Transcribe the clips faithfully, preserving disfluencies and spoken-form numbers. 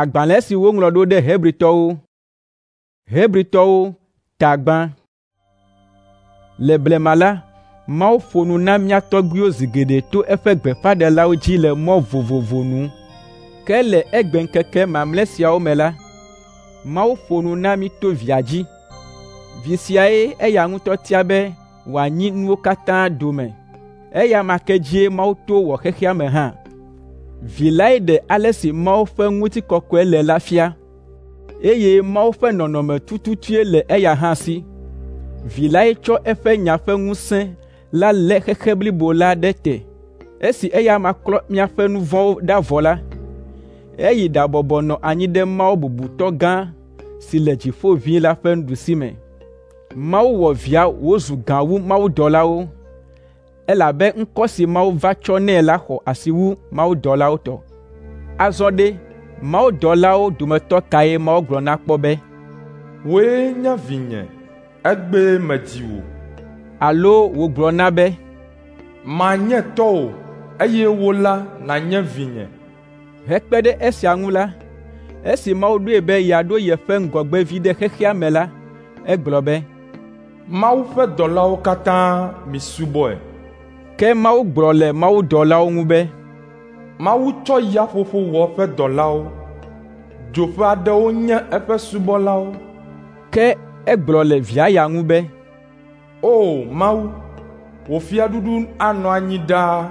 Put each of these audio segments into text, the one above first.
Agbalẽ si woŋlɔ ɖo ɖe Hebritɔwo. Hebritɔwo ta gbã. Le blema la, Mawu ƒo nu na mía tɔgbuiwo zi geɖe to eƒe gbeƒãɖelawo dzi le mɔ vovovo nu. Ke le egbeŋkeke mamlɛ siawo me la, Mawu ƒo nu na mí to Via dzi. Vi siae eya ŋutɔ tia be wòanyi nuwo katã dome. Eya ma ke dzie Mawu to wɔ xexea me hã. Vi lae ɖe ale si Mawu ƒe ŋutikɔkɔe le la fia, eye Mawu ƒe nɔnɔme tututue le eya hã si. Vi lae tsɔ eƒe nya ƒe ŋusẽ la lé xexe blibo la ɖe te. Esi eya amea klɔ míaƒe nu vɔ̃wo ɖa vɔ la, eyi ɖabɔbɔ nɔ anyi ɖe Mawu bubutɔ gã si le dziƒo ʋĩi la ƒe nuɖusime. Mawu wɔ Via wòzu gã wu mawudɔlawo, elabe ŋkɔ si Mawu va tsɔ nɛ la xɔ asi wu mawudɔlawo tɔ. Azɔ ɖe, mawudɔlawo dometɔ kae Mawu gblɔ na kpɔ be, “Wòe nye vinye, egbee medzi wò”? Alo wògblɔ na be, “Manye tɔwò, eye wò la nànye vinye.” Hekpe ɖe esia ŋu la, esi Mawu ɖoe be yeaɖo yeƒe ŋgɔgbevi ɖe xexea me la, egblɔ be, “Mawu ƒe dɔlawo katã misubɔe.” Ke Mawu gblɔ le mawudɔlawo ŋu be, “Mawu tsɔ yaƒoƒo wɔ eƒe dɔlawo, dzo ƒe aɖewo nye eƒe subɔlawo.” Ke egblɔ le Via ya ŋu be, “O Mawu, wò fiaɖuɖu anɔ anyi ɖaa,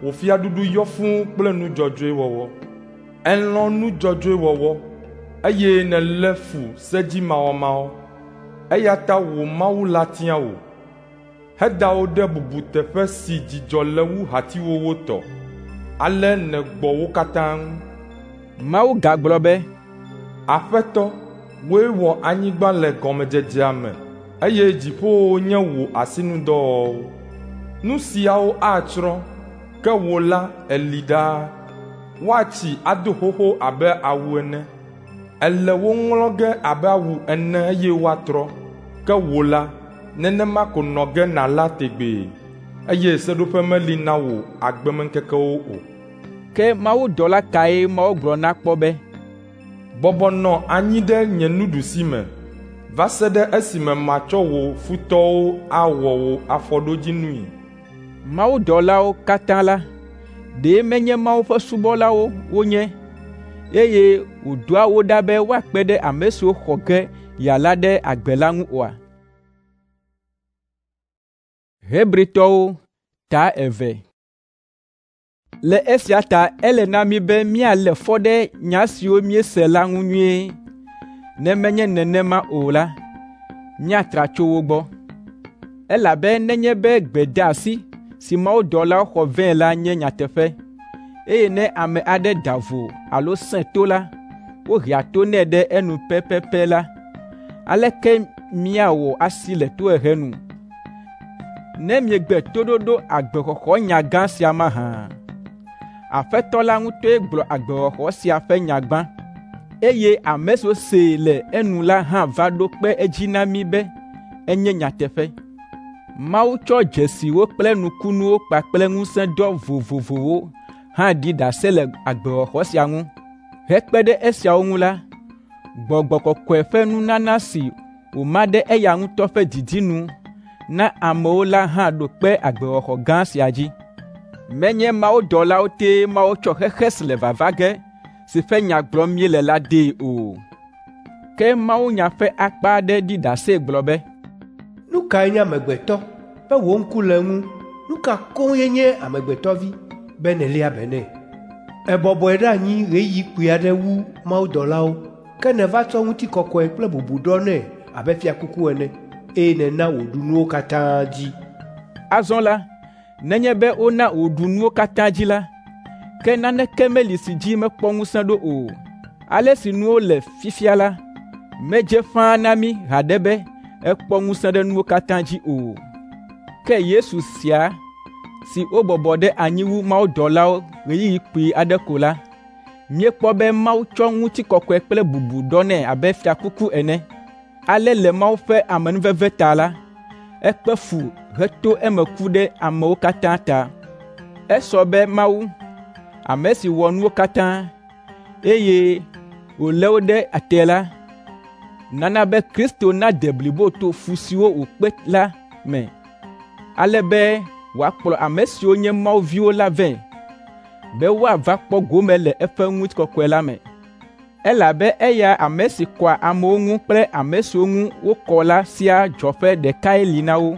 wò fiaɖuɖu yɔ fũu kple nu dzɔdzɔe wɔwɔ. Èlɔ̃ nu dzɔdzɔe wɔwɔ, eye nèlé fu sedzimawɔmawɔ. Eya ta wò Mawu la tia wò, heda wò ɖe bubuteƒe si dzidzɔ le wu hatiwòwo tɔ. Ale nègbɔ wo katã ŋu.” Mawu gagblɔ be, “Aƒetɔ, wòe wɔ anyigba le gɔmedzedzea me, eye dziƒowo nye wò asinudɔwɔwɔwo. Nu siawo atsrɔ̃, ke wò la èli ɖaa. Woatsi ado xoxo abe awu ene. Èle wo ŋlɔ ge abe awu ene eye woatrɔ. Ke wò la, nenema ko nɔ ge nàla tegbee, eye seɖoƒe meli na wò agbemeŋkekewo o.” Ke mawudɔla kae Mawu gblɔ na kpɔ be, “Bɔbɔ nɔ anyi ɖe nye nuɖusime va se ɖe esime matsɔ wò futɔwo awɔ wò afɔɖodzinui”? Mawudɔlawo katã la, ɖe menye Mawu ƒe subɔlawo wonye, eye wòdɔa wo ɖa be woakpe ɖe ame siwo xɔ ge yeala ɖe agbe la ŋu oa? Hebritɔwo ta eve. Le esia ta ele na mí be míalé fɔ ɖe nya siwo míese la ŋu nyuie. Ne menye nenema o la, míatra tso wo gbɔ. Elabe nenye be gbedeasi si mawudɔlawo xɔ vɛ la nye nyateƒe, eye ne ame aɖe da vo alo sẽ to la, wohea to nɛ ɖe enu pɛpɛpɛ la, aleke míawɔ asi le tohehe nu, ne miegbe toɖoɖo agbexɔxɔnya gã sia mahã? Aƒetɔ la ŋutɔe gblɔ agbexɔxɔ sia ƒe nya gbã, eye ame siwo see le enu la hã va ɖo kpe edzi na mí be enye nyateƒe. Mawu tsɔ dzesiwo kple nukunuwo kpakple ŋusẽdɔ vovovowo hã ɖi ɖase le agbexɔxɔ sia ŋu. Hekpe ɖe esiawo ŋu la, Gbɔgbɔ Kɔkɔe ƒe nunana si wòma ɖe eya ŋutɔ ƒe didi nu na amewo la hã ɖo kpe agbexɔxɔ gã sia dzi. Menye mawudɔlawo tee Mawu tsɔ xexe si le vava ge si ƒe nya gblɔm míele la dee o. Ke mawunya ƒe akpa aɖe ɖi ɖase gblɔ be, “Nu kae nye amegbetɔ be wò ŋku le eŋu? Nu ka koŋ ye nye amegbetɔvi be nèléa be nɛ? Èbɔbɔe ɖe anyi ɣeyiɣi kpui aɖe wu mawudɔlawo, ke nèva tsɔ ŋutikɔkɔe kple bubu ɖɔ nɛ abe fiakuku ene, eye nèna wòɖu nuwo katã dzi.” Azɔ la, nenye be wona wòɖu nuwo katã dzi la, ke naneke meli si dzi mekpɔ ŋusẽ ɖo o. Ale si nuwo le fifia la, medze ƒãa na mí haɖe be ekpɔ ŋusẽ ɖe nuwo katã dzi o. Ke Yesu sia si wobɔbɔ ɖe anyi wu mawudɔlawo ɣeyiɣi kpui aɖe ko la, míekpɔ be Mawu tsɔ ŋutikɔkɔe kple bubu ɖɔ nɛ abe fiakuku ene. Ale le Mawu ƒe amenuveve ta la, ekpe fu heto eme ku ɖe amewo katã ta. Esɔ be Mawu, ame si wɔ nuwo katã, eye wòlé wo ɖe te la, nana be Kristo nade blibo to fu siwo wòkpe la me, ale be wòakplɔ ame siwo nye Mawu viwo la vɛ, be woava kpɔ gome le eƒe ŋutikɔkɔe la me. Elabe eya ame si kɔa amewo ŋu kple ame siwo ŋu wokɔ la siaa dzɔƒe ɖekae li na wo.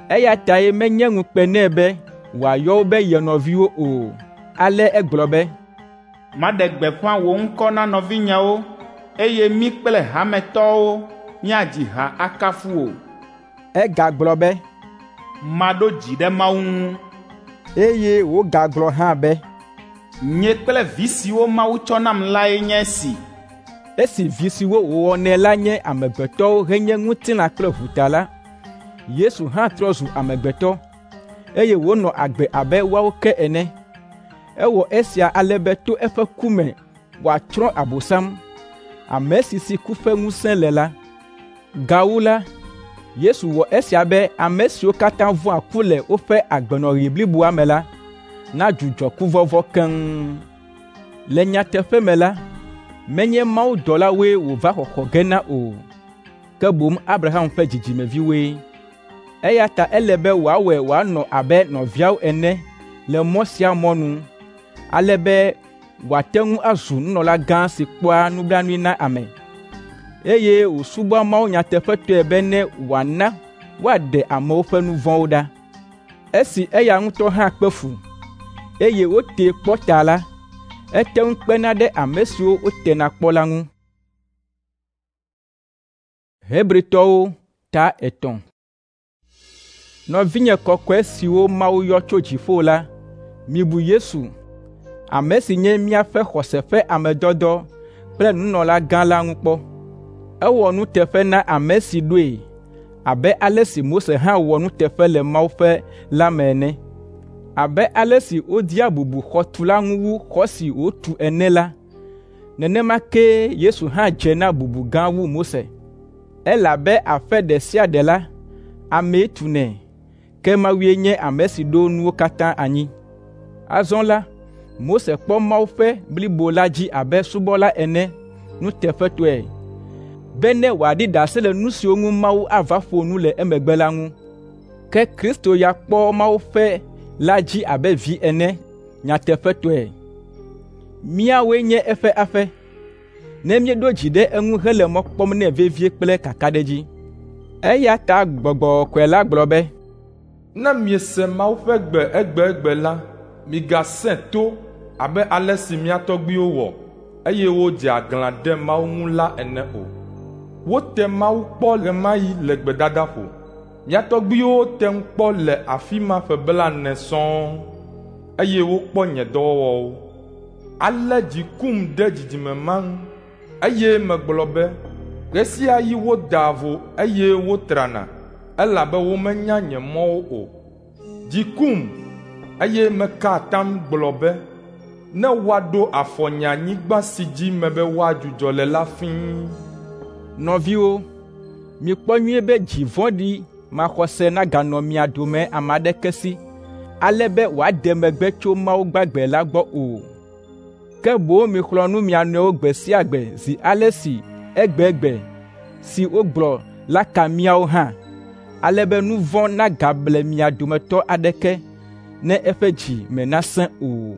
Eya tae menye ŋukpe nɛ be wòayɔ wo be ye nɔviwo o. Ale egblɔ be, Maɖe gbeƒã wò ŋkɔ na nɔvinyewo, eye mí kple hametɔwo míadzi ha akafu wò. Egagblɔ be, Maɖo dzi ɖe Mawu ŋu. Eye wògagblɔ hã be, Nye kple vi siwo Mawu tsɔ nam lae nye esi. Esi vi siwo wòwɔnɛ la nye amegbetɔwo henye ŋutilã kple ʋu ta la, Yesu hã trɔ zu amegbetɔ, eye wònɔ agbe abe woawo ke ene. Ewɔ esia ale be to eƒe ku me wòatsrɔ̃ Abosam, ame si si ku ƒe ŋusẽ le la. Gawu la, Yesu wɔ esia be ame siwo katã vɔ̃a ku le woƒe agbenɔɣi bliboa me la nadzudzɔ kuvɔvɔ̃ keŋ. Le nyateƒe me la, menye mawudɔlawoe wòva xɔxɔ ge na o, ke boŋ Abraham ƒe dzidzimeviwoe. Eya ta ele be wòawɔe wòanɔ abe nɔviawo ene le mɔ sia mɔ nu, ale be wòate ŋu azu nunɔlagã si kpɔa nublanui na ame, eye wòsubɔa Mawu nyateƒetɔe be ne wòana woaɖe amewo ƒe nu vɔ̃wo ɖa. Esi eya ŋutɔ hã kpe fu, eye wotee kpɔ ta la, ete ŋu kpena ɖe ame siwo wotena kpɔ la ŋu. Hebritɔwo ta etɔ̃. Nɔvinye kɔkɔe siwo Mawu yɔ tso dziƒo la, mibu Yesu, ame si nye míaƒe xɔse ƒe ame dɔdɔ kple nunɔlagã la ŋu kpɔ. Ewɔ nuteƒe na ame si ɖoe abe ale si Mose hã wɔ nuteƒe le Mawu ƒe la me ene. Abe ale si wodea bubu xɔtula ŋu wu xɔ si wòtu ene la, nenema kee Yesu hã dze na bubu gã wu Mose. Elabe aƒe ɖe sia ɖe la, amee tunɛ, ke Mawue nye ame si ɖo nuwo katã anyi. Azɔ la, Mose kpɔ Mawu ƒe blibo la dzi abe subɔla ene nuteƒetɔe, be ne wòaɖi ɖase le nu siwo ŋu Mawu ava ƒo nu le emegbe la ŋu. Ke Kristo ya kpɔ Mawu ƒe la dzi abe vi ene nyateƒetɔe. Míawoe nye eƒe aƒe, ne míeɖo dzi ɖe eŋu hele mɔ kpɔm nɛ vevie kple kakaɖedzi. Eya ta Gbɔgbɔ Kɔkɔe la gblɔ be, Ne miese Mawu ƒe gbe egbegbe la, migasẽ to abe ale si mía tɔgbuiwo wɔ, eye wodze aglã ɖe Mawu ŋu la ene o. Wote Mawu kpɔ ɣe ma ɣi le gbedadaƒo. Mía tɔgbuiwo tem kpɔ le afi ma ƒe blaene sɔŋ, eye wokpɔ nye dɔwɔwɔwo. Ale dzi kum ɖe dzidzime ma ŋu, eye megblɔ be, ɣe sia ɣi wodaa vo eye wotrana, elabe womenya nye mɔwo o. Dzi kum, eye meka atam gblɔ be, ne woaɖo afɔ nye anyigba si dzi mebe woadzudzɔ le la fĩi. Nɔviwo, mikpɔ nyuie be dzi vɔ̃ɖi maxɔse naganɔ mia dome ame aɖeke si, ale be wòade megbe tso Mawu gbagbe la gbɔ o. Ke boŋ mixlɔ̃ nu mia nɔewo gbe sia gbe zi ale si egbegbe si wogblɔ la ka míawo hã, ale be nu vɔ̃ nagable mia dometɔ aɖeke ne eƒe dzi me nasẽ o.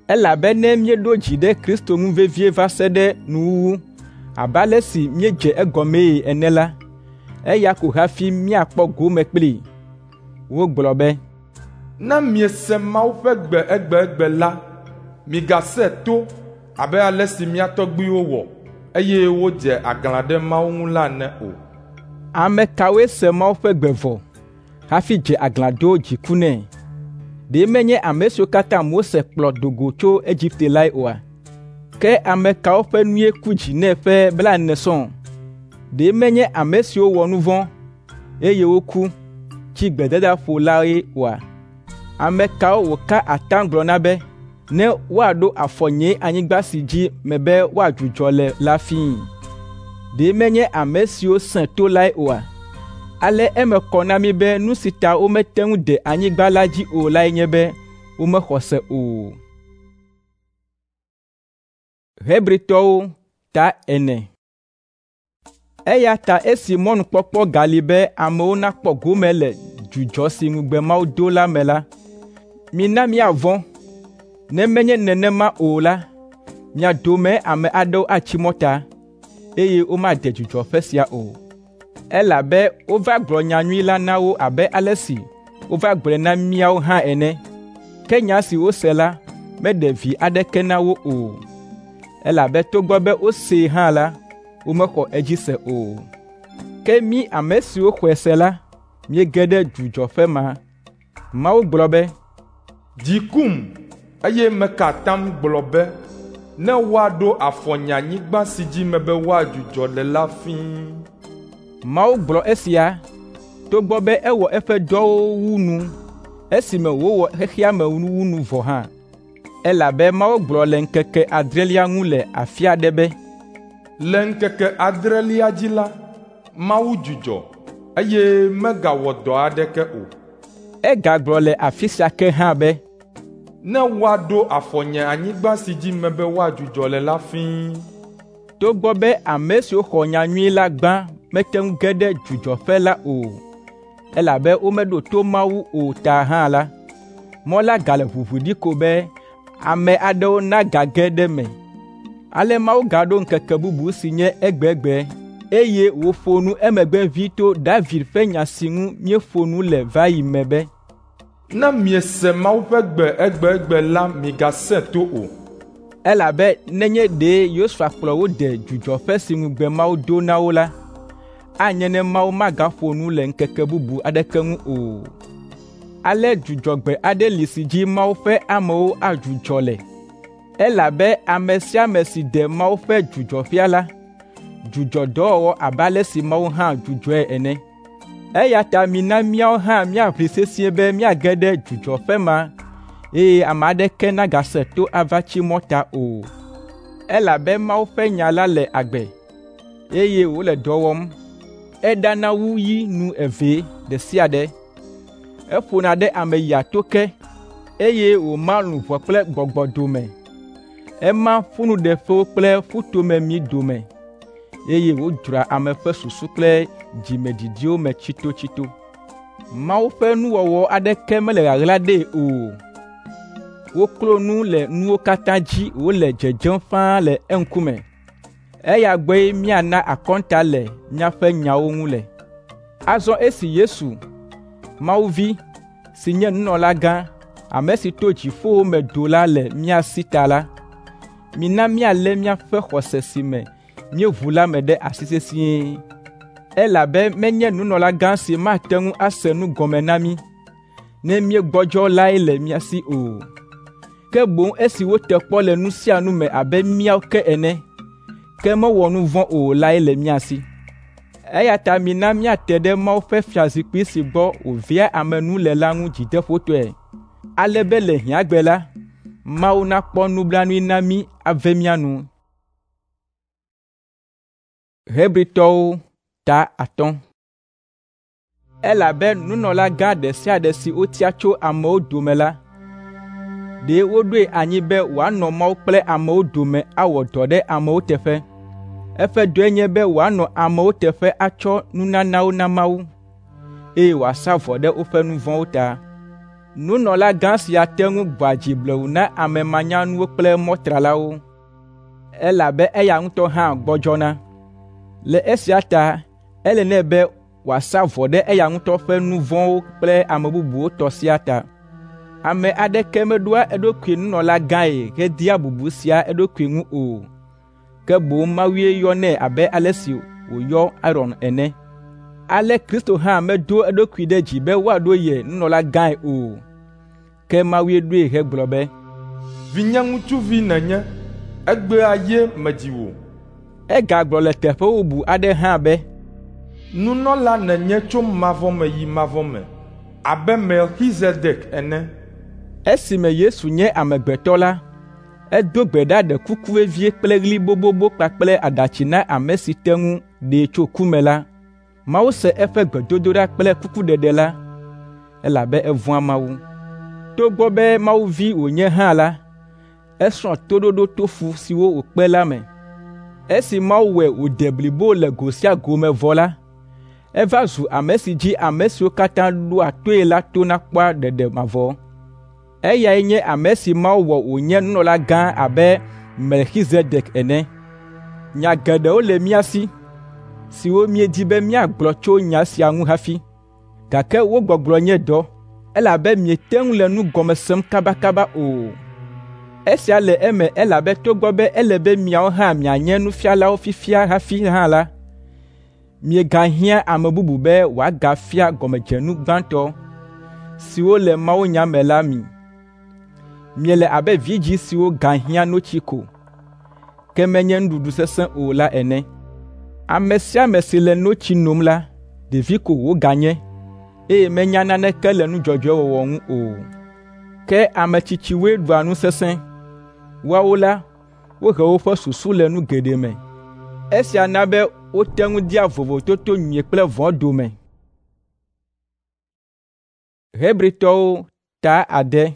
Elabe ne míeɖo dzi ɖe Kristo ŋu vevie va se ɖe nuwuwu, abe ale si míedze egɔmee ene la, eya ko hafi míakpɔ gome kplii. Wogblɔ be, Ne miese Mawu ƒe gbe egbegbe la, migasẽ to abe ale si mía tɔgbuiwo wɔ, eye wodze aglã ɖe Mawu ŋu la ene o. Ame kawoe se Mawu ƒe gbe vɔ hafi dze aglã do dziku nɛ? Ɖe menye ame siwo katã Mose kplɔ do go tso Egipte lae oa? Ke ame kawo ƒe nue ku dzi nɛ ƒe blaene sɔŋ? Ɖe menye ame siwo wɔ nu vɔ̃, eye woku, tsi gbedadaƒo lae oa? Ame kawo wòka atam gblɔ na be, ne woaɖo afɔ nye anyigba si dzi mebe woadzudzɔ le la fĩi? Ɖe menye ame siwo sẽ to lae oa? Ale eme kɔ na mí be nu si ta womete ŋu de anyigba la dzi o lae nye be womexɔ se o. Hebritɔwo Ta ene. Eya ta esi mɔnukpɔkpɔ gali be amewo nakpɔ gome le dzudzɔ si ŋugbe Mawu do la me la, mina míavɔ̃. Ne menye nenema o la, mia dome ame aɖewo atsi mɔta, eye womade dzudzɔƒe sia o. Elabe wova gblɔ nyanyui la na wo abe ale si wova gblɔe na míawo hã ene. Ke nya si wose la meɖe vi aɖeke na wo o, elabe togbɔ be wosee hã la, womexɔ edzi se o. Ke mí ame siwo xɔe se la, míege ɖe dzudzɔƒe ma. Mawu gblɔ be, “Dzi kum, eye meka atam gblɔ be, ne woaɖo afɔ nye anyigba si dzi mebe woadzudzɔ le la fĩi.” Mawu gblɔ esia togbɔ be ewɔ eƒe dɔwo wu nu esime wòwɔ xexea me wu nu vɔ hã. Elabe Mawu gblɔ le ŋkeke adrelia ŋu le afi aɖe be, “Le ŋkeke adrelia dzi la, Mawu dzudzɔ, eye megawɔ dɔ aɖeke o.” Egagblɔ le afi sia ke hã be, “Ne woaɖo afɔ nye anyigba si dzi mebe woadzudzɔ le la fĩi.” Togbɔ be ame siwo xɔ nyanyui la gbã mete ŋu ge ɖe dzudzɔƒe la o, elabe womeɖo to Mawu o ta hã la, mɔ la gale ʋuʋu ɖi ko be ame aɖewo nagage ɖe eme. Ale Mawu gaɖo ŋkeke bubu si nye egbegbe, eye wòƒo nu emegbe ʋĩi to David ƒe nya si ŋu míeƒo nu le va yi me be, “Ne miese Mawu ƒe gbe egbegbe la, migasẽ to o.” Elabe nenye ɖe Yosua kplɔ wo de dzudzɔƒe si ŋugbe Mawu do na wo la, anye ne Mawu magaƒo nu le ŋkeke bubu aɖeke ŋu o. Ale dzudzɔgbe aɖe li si dzi Mawu ƒe amewo adzudzɔ le, elabe ame sia ame si de Mawu ƒe dzudzɔƒea la, dzudzɔ dɔwɔwɔ abe ale si Mawu hã dzudzɔe ene. Eya ta mina míawo hã míaʋli sesĩe be míage ɖe dzudzɔƒe ma, eye ame aɖeke nagase to ava tsi mɔta o. Elabe Mawu ƒe nya la le agbe, eye wòle dɔ wɔm. Eɖana wu yi nu eve ɖe sia ɖe. Eƒona ɖe ame yia to ke, eye wòma luʋɔ kple gbɔgbɔ dome. Ema ƒunuɖeƒewo kple ƒutomemi dome, eye wòdzroa ame ƒe susu kple dzimedidiwo me tsitotsito. Mawu ƒe nuwɔwɔ aɖeke mele ɣaɣla ɖee o. Woklo nu le nuwo katã dzi wòle dzedzem ƒãa le eŋkume. Eya gbɔe míana akɔnta le míaƒe nyawo ŋu le. Azɔ esi Yesu, Mawu Vi, si nye nunɔlagã, ame si to dziƒowo me do la le mía si ta la, mina míalé míaƒe xɔse si me míeʋu la me ɖe asi sesĩe. Elabe menye nunɔlagã si mate ŋu ase nu gɔme na mí, ne míegbɔdzɔ lae le mía si o. Ke boŋ esi wote kpɔ le nu sia nu me abe míawo ke ene, ke mewɔ nu vɔ̃ o lae le mía si. Eya ta mina míate ɖe Mawu ƒe fiazikpui si gbɔ wòvea ame nu le la ŋu dzideƒotɔe, ale be le hiãgbe la, Mawu nakpɔ nublanui na mí ave mía nu. Hebritɔwo ta atɔ̃. Elabe nunɔlagã ɖe sia ɖe si wotia tso amewo dome la, ɖe woɖoe anyi be wòanɔ Mawu kple amewo dome awɔ dɔ ɖe amewo teƒe. Eƒe dɔe nye be wòanɔ amewo teƒe atsɔ nunanawo na Mawu, eye wòasa vɔ ɖe woƒe nu vɔ̃wo ta. Nunɔlagã sia te ŋu gbɔa dzi blewu na ame manyanuwo kple mɔtralawo, elabe eya ŋutɔ hã gbɔdzɔna. Le esia ta ele nɛ be wòasa vɔ ɖe eya ŋutɔ ƒe nu vɔ̃wo kple ame bubuwo tɔ siaa ta. Ame aɖeke meɖoa eɖokui nunɔlagãe hedia bubu sia eɖokui ŋu o, ke boŋ Mawue yɔnɛ abe ale si wòyɔ Aron ene. Ale Kristo hã medo eɖokui ɖe dzi be woaɖo ye nunɔlagãe o, ke Mawue ɖoe hegblɔ be, “Vinye ŋutsuvi nènye, egbea ye medzi wò.” Egagblɔ le teƒe bubu aɖe hã be, “Nunɔla nènye tso mavɔ me yi mavɔ me abe Melkizedek ene.” Esime Yesu nye amegbetɔ la, edo gbe ɖa ɖe kuku vevie kple ɣli bobobo kpakple aɖatsi na ame si te ŋu ɖee tso ku me la. Mawu se eƒe gbedodoɖa kple kukuɖeɖe la, elabe evɔ̃a Mawu. Togbɔ be Mawu vi wònye hã la, esrɔ̃ toɖoɖo to fu siwo wòkpe la me. Esi Mawu wɔe wòde blibo le go sia go me vɔ la, eva zu ame si dzi ame siwo katã ɖoa toe la tona kpɔa ɖeɖe mavɔ. Eyae nye ame si Mawu wɔ wònye nunɔlagã abe Melkizedek ene. Nya geɖewo le mía si, siwo míedi be míagblɔ tso nya sia ŋu hafi, gake wo gbɔgblɔ nye dɔ, elabe miete ŋu le nu gɔme sem kabakaba o. Esia le eme elabe togbɔ be ele be miawo hã mianye nufialawo fifia hafi hã la, miegahiã ame bubu be wòagafia gɔmedzenu gbãtɔ siwo le mawunya me la mi. Miele abe vidzĩ siwo gahiã notsi ko, ke menye nuɖuɖu sesẽ o la ene. Ame sia ame si le notsi nom la, ɖevi ko wòganye, eye menya naneke le nu dzɔdzɔe wɔwɔ ŋu o. Ke ame tsitsiwoe ɖua nu sesẽ. Woawo la, wohe woƒe susu le nu geɖe me. Esia na be wote ŋu dea vovototo nyui kple vɔ̃ dome. Hebritɔwo ta ade.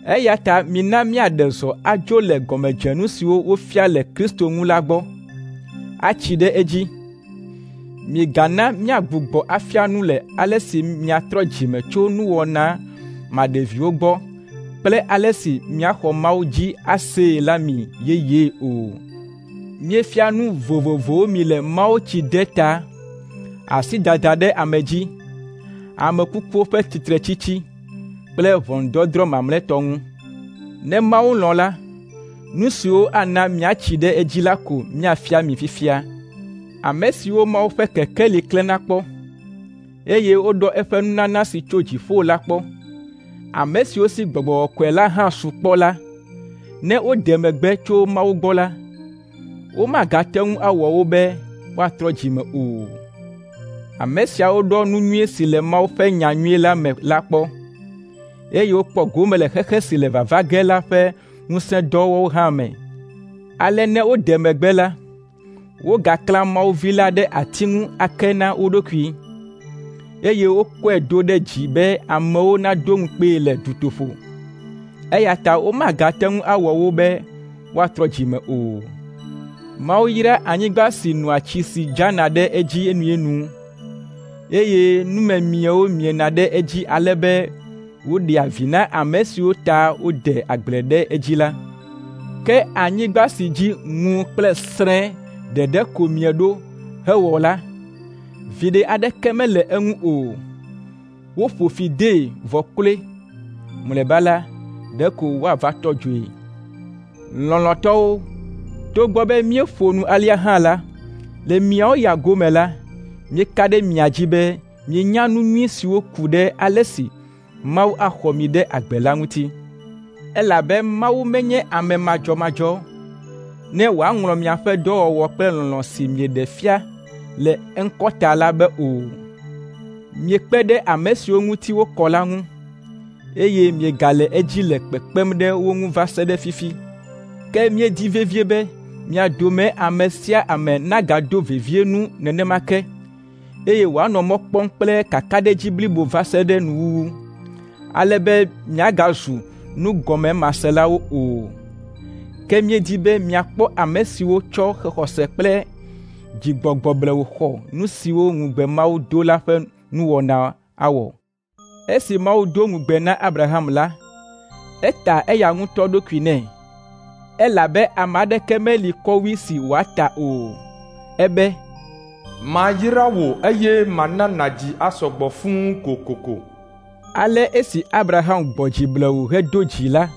Eya ta mina míaɖe zɔ adzo le gɔmedzenu siwo wofia le Kristo ŋu la gbɔ, atsi ɖe edzi. Migana míagbugbɔ afia nu le ale si miatrɔ dzime tso nuwɔna maɖeviwo gbɔ kple ale si miaxɔ Mawu dzi asee la mi yeyee o. Míefia nu vovovowo mi le mawutsideta, asidada ɖe ame dzi, ame kukuwo ƒe tsitretsitsi kple ʋɔnudɔdrɔ̃ mamlɛtɔ ŋu. Ne Mawu lɔ̃ la, nu siwo ana miatsi ɖe edzi la ko míafia mi fifia. Ame siwo Mawu ƒe kekeli klẽna kpɔ, eye woɖɔ eƒe nunana si tso dziƒo la kpɔ, ame siwo si Gbɔgbɔ Kɔkɔe la hã su kpɔ la, ne wode megbe tso Mawu gbɔ la, womagate ŋu awɔ wo be woatrɔ dzime o. Ame siawo ɖɔ nu nyui si le Mawu ƒe nya nyui la me la kpɔ, eye wokpɔ gome le xexe si le vava ge la ƒe ŋusẽdɔwo hã me. Ale ne wode megbe la, wogaklã Mawu Vi la ɖe ati ŋu ake na wo ɖokui, eye wokɔe do ɖe dzi be amewo nado ŋukpee le dutoƒo. Eya ta womagate ŋu awɔ wo be woatrɔ dzime o. Mawu yra anyigba si nɔa tsi si dzana ɖe edzi enuenu, eye numemiewo miena ɖe edzi ale be wòɖea vi na ame siwo ta wode agble ɖe edzi la. Ke anyigba si dzi ŋu kple srẽ ɖeɖe ko mie ɖo hewɔ la, viɖe aɖeke mele eŋu o. Woƒo fi dee vɔ kloe. Mlɔeba la, ɖeko woava tɔ dzoe. Lɔlɔ̃tɔwo, togbɔ be míeƒo nu alea hã la, le miawo ya gome la, míeka ɖe mia dzi be mienya nu nyui siwo ku ɖe ale si Mawu axɔ mi ɖe agbe la ŋuti. Elabe Mawu menye ame madzɔmadzɔ ne wòaŋlɔ miaƒe dɔwɔwɔ kple lɔlɔ̃ si mieɖe fia le eŋkɔ ta la be o. Miekpe ɖe ame siwo ŋuti wokɔ la ŋu, eye miegale edzi le kpekpem ɖe wo ŋu va se ɖe fifi. Ke míedi vevie be mia dome ame sia ame nagado vevie nu nenema ke, eye wòanɔ mɔ kpɔm kple kakaɖedzi blibo va se ɖe nuwuwu, ale be miagazu nugɔmemaselawo o. Ke míedi be miakpɔ ame siwo tsɔ xɔse kple dzigbɔgbɔ blewu xɔ nu siwo ŋugbe Mawu do la ƒe nuwɔna awɔ. Esi Mawu do ŋugbe na Abraham la, eta eya ŋutɔ ɖokui nɛ, elabe ame aɖeke meli kɔwui si wòata o. Ebe, Mayra wò eye mana nàdzi asɔ gbɔ fũu kokoko. Ale esi Abraham gbɔ dzi blewu hedo dzi la,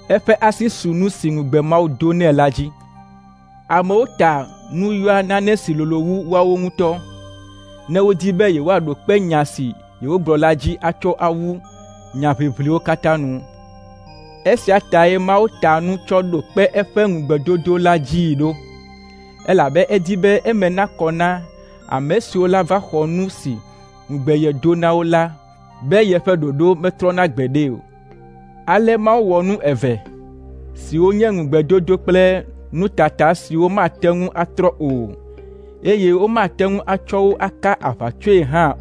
eƒe asi su nu si ŋugbe Mawu do nɛ la dzi. Amewo ta nu yɔa nane si lolo wu woawo ŋutɔ, ne wodi be yewoaɖo kpe nya si yewogblɔ la dzi atsɔ awu nyaʋiʋliwo katã nu. Esia tae Mawu ta nu tsɔ ɖo kpe eƒe ŋugbedodo la dzii ɖo, elabe edi be eme nakɔ na ame siwo lava xɔ nu si ŋugbe yedo na wo la be yeƒe ɖoɖo metrɔna gbeɖe o. Ale Mawu wɔ nu eve, siwo nye ŋugbedodo kple nutata siwo mate ŋu atrɔ o, eye womate ŋu atsɔ wo aka aʋatsoe hã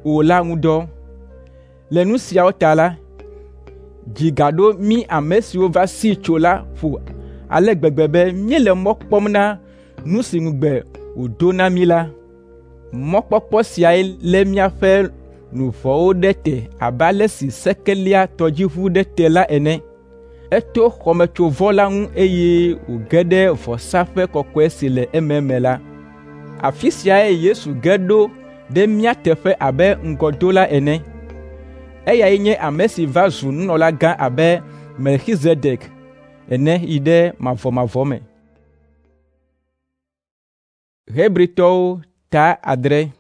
o la ŋu dɔ. Le nu siawo ta la, dzi gaɖo mí ame siwo va sii tso la ƒo ale gbegbe be míele mɔ kpɔm na nu si ŋugbe wòdo na mí la. Mɔkpɔkpɔ siae lé míaƒe luʋɔwo ɖe te abe ale si seke léa tɔdziʋu ɖe te la ene. Eto xɔmetsovɔ la ŋu eye wòge ɖe vɔsaƒe kɔkɔe si le ememe la. Afi siae Yesu ge ɖo ɖe mía teƒe abe ŋgɔdola ene. Eyae nye ame si va zu nunɔlagã abe Melkizedek ene yi ɖe mavɔmavɔ me. Hebritɔwo ta adre.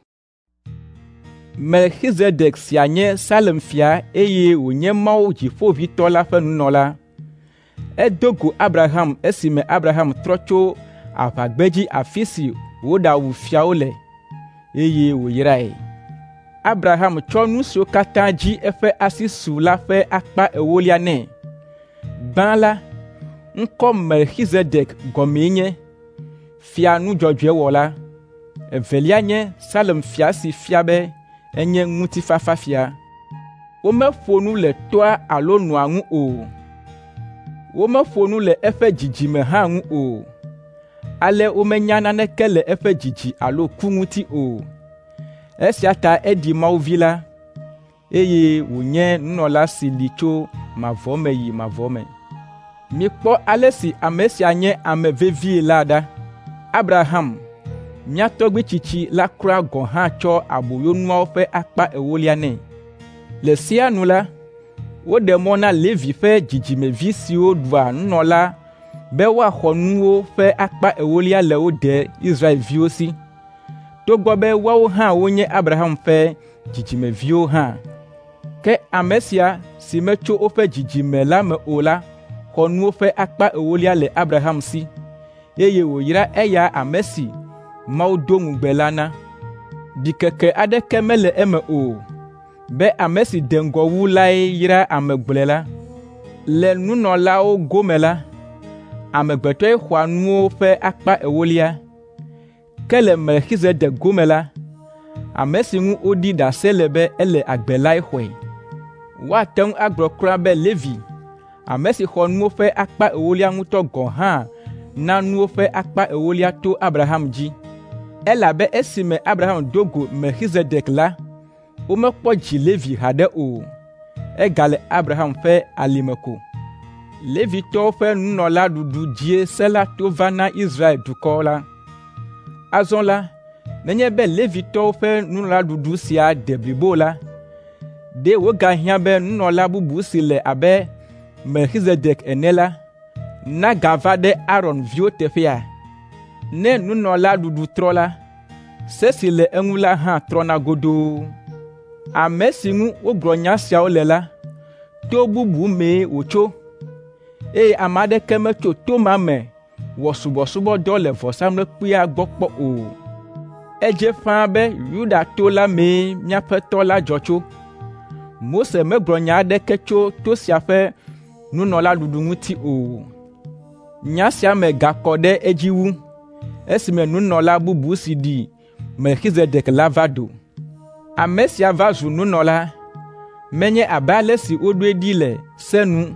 Melkizedek sia nye Salem fia eye wònye Mawu Dziƒoʋĩtɔ la ƒe nunɔla. Edo go Abraham esime Abraham trɔ tso aʋagbedzi afi si wòɖawu fiawo le, eye wòyrae. Abraham tsɔ nu siwo katã dzi eƒe asi su la ƒe akpa ewolia nɛ. Gbã la, ŋkɔ Melkizedek gɔmee nye fia nudzɔdzɔewɔla. Evelia nye Salem fia si fia be enye ŋutifafafia. Womeƒo nu le toa alo nɔa ŋu o. Womeƒo nu le eƒe dzidzime hã ŋu o. Ale womenya naneke le eƒe dzidzi alo ku ŋuti o. Esia ta eɖi Mawu Vi la, eye wònye nunɔla si li tso mavɔ me yi mavɔ me. Mikpɔ ale si ame sia nye ame vevie la ɖa. Abraham, mía tɔgbui tsitsi la kura gɔ̃ hã tsɔ aboyonuawo ƒe akpa ewolia nɛ. Le sea nu la, woɖe mɔ na Levi ƒe dzidzimevi siwo ɖua nunɔla be woaxɔ nuwo ƒe akpa ewolia le wo de Israelviwo si, togbɔ be woawo hã wonye Abraham ƒe dzidzimeviwo hã. Ke ame sia si metso woƒe dzidzime la me o la xɔ nuwo ƒe akpa ewolia le Abraham si, eye wòyra eya ame si Mawu do ŋugbe la na. Ɖikeke aɖeke mele eme o be ame si de ŋgɔ wu lae yra ame gblɔe la. Le nunɔlawo gome la, amegbetɔe xɔa nuwo ƒe akpa ewolia. Ke le Melkizedek gome la, ame si ŋu woɖi ɖase le be ele agbe lae xɔe. Woate ŋu agblɔ kura be Levi, ame si xɔ nuwo ƒe akpa ewolia ŋutɔ gɔ̃ hã na nuwo ƒe akpa ewolia to Abraham dzi. Elabe esime Abraham do go Melkizedek la, womekpɔ dzi Levi haɖe o. Egale Abraham ƒe alime ko. Levitɔwo ƒe nunɔlaɖuɖu dzie se la to va na Israel dukɔ la. Azɔ la, nenye be Levitɔwo ƒe nunɔlaɖuɖu sia de blibo la, ɖe wògahiã be nunɔla bubu si le abe Melkizedek ene la, nagava ɖe Aron viwo teƒea? Ne nunɔlaɖuɖu trɔ la, se si le eŋu la hã trɔna godoo. Ame si ŋu wogblɔ nya siawo le la, to bubu mee wòtso, eye ame aɖeke metso to ma me wɔ subɔsubɔdɔ le vɔsamlekpuia gbɔ kpɔ o. Edze ƒãa be Yuda to la mee míaƒe tɔ la dzɔ tso. Mose megblɔ nya aɖeke tso to sia ƒe nunɔlaɖuɖu ŋuti o. Nya sia me gakɔ ɖe edzi wu esime nunɔla bubu si ɖi Melkizedek la va do. Ame sia va zu nunɔla, menye abe ale si woɖoe ɖi le se nu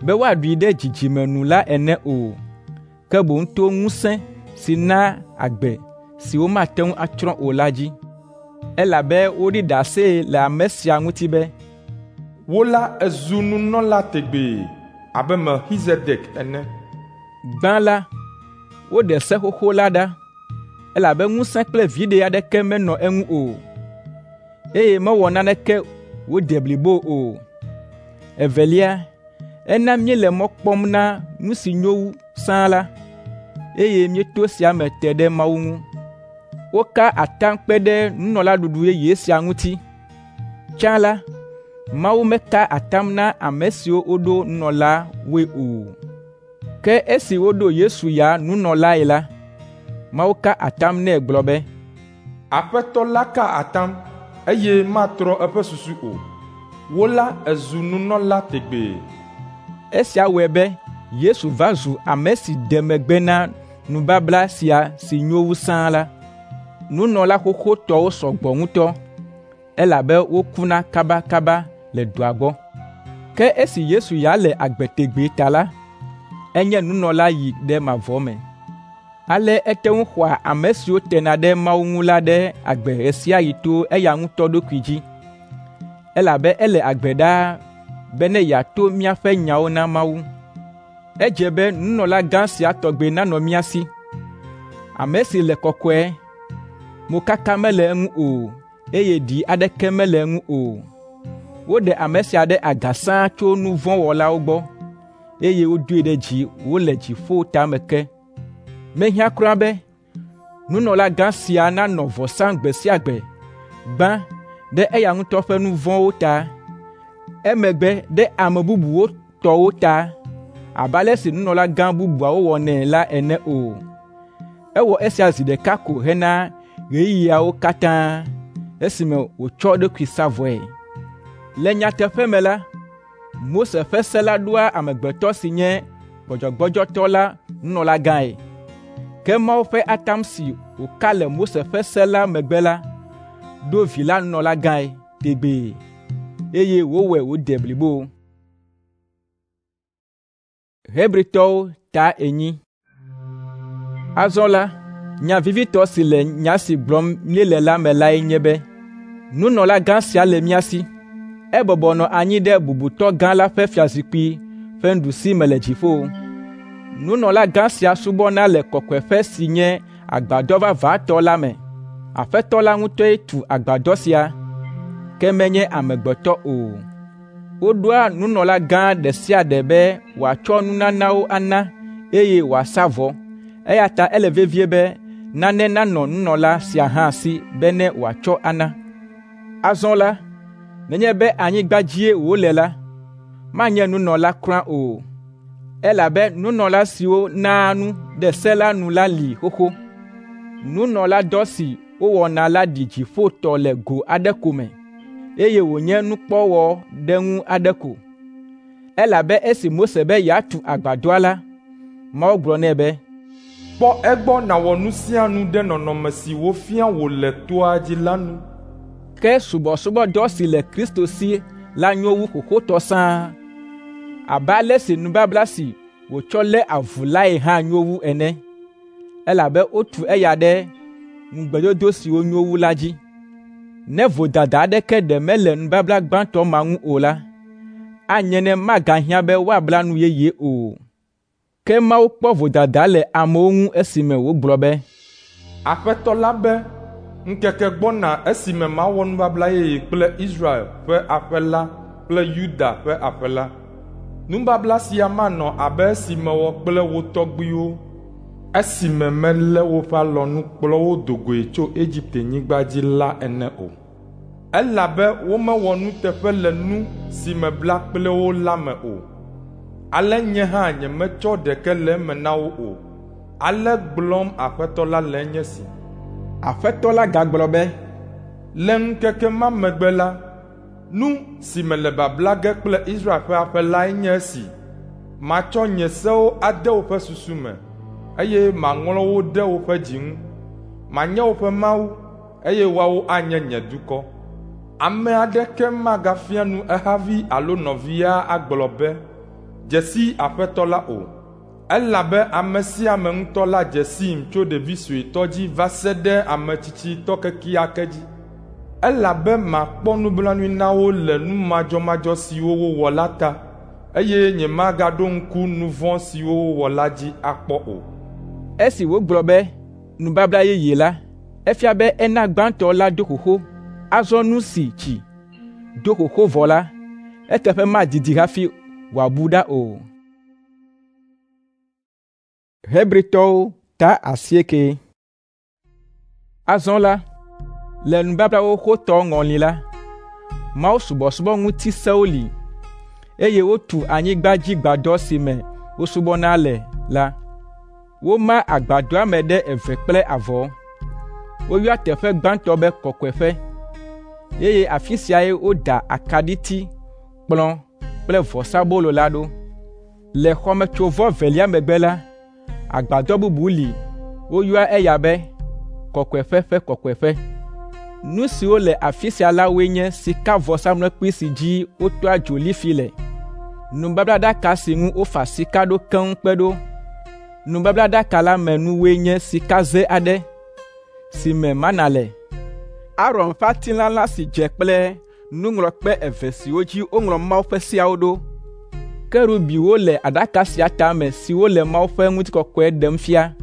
be woaɖui ɖe dzidzime nu la ene o, ke boŋ to ŋusẽ si na agbe si womate ŋu atsrɔ̃ o la dzi. Elabe woɖi ɖase le ame sia ŋuti be, Wò la èzu nunɔla tegbee abe Melkizedek ene. Gbã la, woɖe se xoxo la ɖa, elabe ŋusẽ kple viɖe aɖeke menɔ eŋu o, eye mewɔ naneke wòde blibo o. Evelia, ena míele mɔ kpɔm na nu si nyo wu sãa la, eye míeto esia me te ɖe Mawu ŋu. Woka atam kpe ɖe nunɔlaɖuɖu yeye sia ŋuti. Tsã la, Mawu meka atam na ame siwo woɖo nunɔlawoe o. Ke esi woɖo Yesu ya nunɔlae la, Mawu ka atam nɛ gblɔ be, Aƒetɔ la ka atam, eye matrɔ eƒe susu o. Wò la èzu nunɔla tegbee. Esia wɔe be Yesu va zu ame si de megbe na nubabla sia si nyo wu sãa la. Nunɔla xoxotɔwo sɔ gbɔ ŋutɔ, elabe wokuna kabakaba le dɔa gbɔ. Ke esi Yesu ya le agbe tegbee ta la, Enye nunɔla yi ɖe mavɔ me. Ale ete ŋu xɔa ame siwo tena ɖe Mawu ŋu la ɖe agbe ɣe sia ɣi to eya ŋutɔ ɖokui dzi, elabe ele agbe ɖaa be ne yeato míaƒe nyawo na Mawu. Edze be nunɔlagã sia tɔgbi nanɔ mía si, ame si le kɔkɔe, mokaka mele eŋu o, eye ɖi aɖeke mele eŋu o. Woɖe ame sia ɖe aga sãa tso nu vɔ̃ wɔlawo gbɔ, eye wodoe ɖe dzi wòle dziƒo tame ke. Mehiã kura be nunɔlagã sia nanɔ vɔ sam gbe sia gbe, gbã ɖe eya ŋutɔ ƒe nu vɔ̃wo ta, emegbe ɖe ame bubuwo tɔwo ta, abe ale si nunɔlagã bubuawo wɔnɛ la ene o. Ewɔ esia zi ɖeka ko hena ɣeyiɣiawo katã esime wòtsɔ eɖokui sa vɔe. Le nyateƒe me la, Mose ƒe se la ɖoa amegbetɔ si nye gbɔdzɔgbɔdzɔtɔ la nunɔlagãe. Ke Mawu ƒe atam si wòka le Mose ƒe se la megbe la, ɖo Vi la nunɔlagãe tegbee, eye wòwɔe wòde blibo. Hebritɔwo ta enyi. Azɔ la, nya vevitɔ si le nya si gblɔm míele la me lae nye be, nunɔlagã sia le mía si. Ebɔbɔ nɔ anyi ɖe bubutɔ gã la ƒe fiazikpui ƒe nuɖusime le dziƒo. Nunɔlagã sia subɔna le kɔkɔeƒe si nye agbadɔ vavãtɔ la me. Aƒetɔ la ŋutɔe tu agbadɔ sia, ke menye amegbetɔ o. Woɖoa nunɔlagã ɖe sia ɖe be wòatsɔ nunanawo ana eye wòasa vɔ, eya ta ele vevie be nane nanɔ nunɔla sia hã si bene wòatsɔ ana. Azɔ la, nenye be anyigba dzie wòle la, manye nunɔla kura o, elabe nunɔla siwo naa nu ɖe se la nu la li xoxo. Nunɔladɔ si wowɔna la ɖi dziƒo tɔ le go aɖe ko me, eye wònye nukpɔwɔɖeŋu aɖe ko. Elabe esi Mose be yeatu agbadɔa la, Mawu gblɔ nɛ be, Kpɔ egbɔ nàwɔ nu sia nu ɖe nɔnɔme si wofia wò le toa dzi la nu. Ke subɔsubɔdɔ si le Kristo si la nyo wu xoxotɔ sãa, abe ale si nubabla si wòtsɔ lé avu lae hã nyo wu ene, elabe wotu eya ɖe ŋugbedodo siwo nyo wu la dzi. Ne vodada aɖeke ɖe mele nubabla gbãtɔ ma ŋu o la, anye ne magahiã be woabla nu yeye o. Ke Mawu kpɔ vodada le amewo ŋu esime wògblɔ be, Aƒetɔ la be, ŋkeke gbɔna esime mawɔ nubabla yeye kple Israel ƒe aƒe la kple Yuda ƒe aƒe la. Nubabla sia manɔ abe esi mewɔ kple wo tɔgbuiwo esime melé woƒe alɔnu kplɔ wo do goe tso Egiptenyigba dzi la ene o. Elabe womewɔ nuteƒe le nu si mebla kple wo la me o. Ale nye hã nyemetsɔ ɖeke le eme na wo o. Ale gblɔm Aƒetɔ la le nye si. Aƒetɔ la gagblɔ be, Le ŋkeke ma megbe la, nu si mele babla ge kple Israel ƒe aƒe lae nye esi. Matsɔ nye sewo ade woƒe susu me, eye maŋlɔ wo ɖe woƒe dzi ŋu. Manye woƒe Mawu, eye woawo anye nye dukɔ. Ame aɖeke magafia nu ehavi alo nɔvia agblɔ be, ‘Dze si Aƒetɔ la’ o, elabe ame sia ame ŋutɔ la dze sim tso ɖevi suetɔ dzi va se ɖe ame tsitsitɔ kekeake dzi. Elabe makpɔ nublanui na wo le nu madzɔmadzɔ siwo wowɔ la ta, eye nyemagaɖo ŋku nu vɔ̃ siwo wowɔ la dzi akpɔ o. Esi wògblɔ be nubabla yeye la, efia be ena gbãtɔ la do xoxo. Azɔ nu si tsi do xoxo vɔ la, eteƒe madidi hafi wòabu ɖa o. Hebritɔwo ta asieke. Azɔ la, le nubabla xoxotɔ ŋɔli la, Mawu subɔsubɔ ŋuti sewo li, eye wotu anyigbadzigbadɔ si me wosubɔna le la. Woma agbadɔa me ɖe eve kple avɔ. Woyɔa teƒe gbãtɔ be kɔkɔeƒe, eye afi siae woda akaɖiti, kplɔ̃ kple vɔsabolo la ɖo. Le xɔmetsovɔ velia megbe la, agbadɔ bubu li woyɔa eya be kɔkɔeƒe ƒe kɔkɔeƒe. Nu siwo le afi sia la woe nye sikavɔsamlekpui si dzi wotɔa dzo lifi le, Nubablaɖaka si ŋu wofa sika ɖo keŋ kpe ɖo. Nubablaɖaka la me nuwoe nye sikaze aɖe si me mana le, Aron ƒe atilãla si dze kple nuŋlɔkpe eve siwo dzi woŋlɔ Mawu ƒe seawo ɖo. Kerubiwo le aɖaka sia tame siwo le Mawu ƒe ŋutikɔkɔe ɖem fia,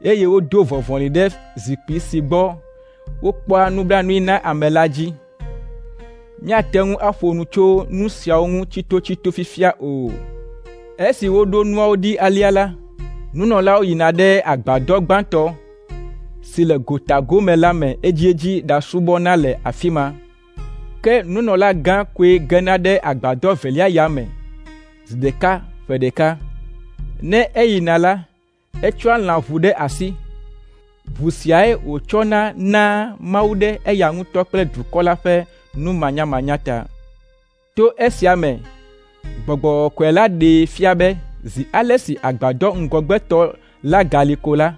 eye wodo vɔvɔli ɖe zikpui si gbɔ wokpɔa nublanui na ame la dzi. Míate ŋu aƒo nu tso nu siawo ŋu tsitotsito fifia o. Esi woɖo nuawo ɖi alea la, nunɔlawo yina ɖe agbadɔ gbãtɔ si le gota gome la me edziedzi ɖasubɔna le afi ma. Ke nunɔlagã koe gena ɖe agbadɔ evelia ya me zi ɖeka ƒe ɖeka. Ne eyina la, etsɔa lãʋu ɖe asi. Ʋu siae wòtsɔna naa Mawu ɖe eya ŋutɔ kple dukɔ la ƒe numanyamanya ta. To esia me, Gbɔgbɔ Kɔkɔe la ɖee fia be zi ale si agbadɔ ŋgɔgbetɔ la gali ko la,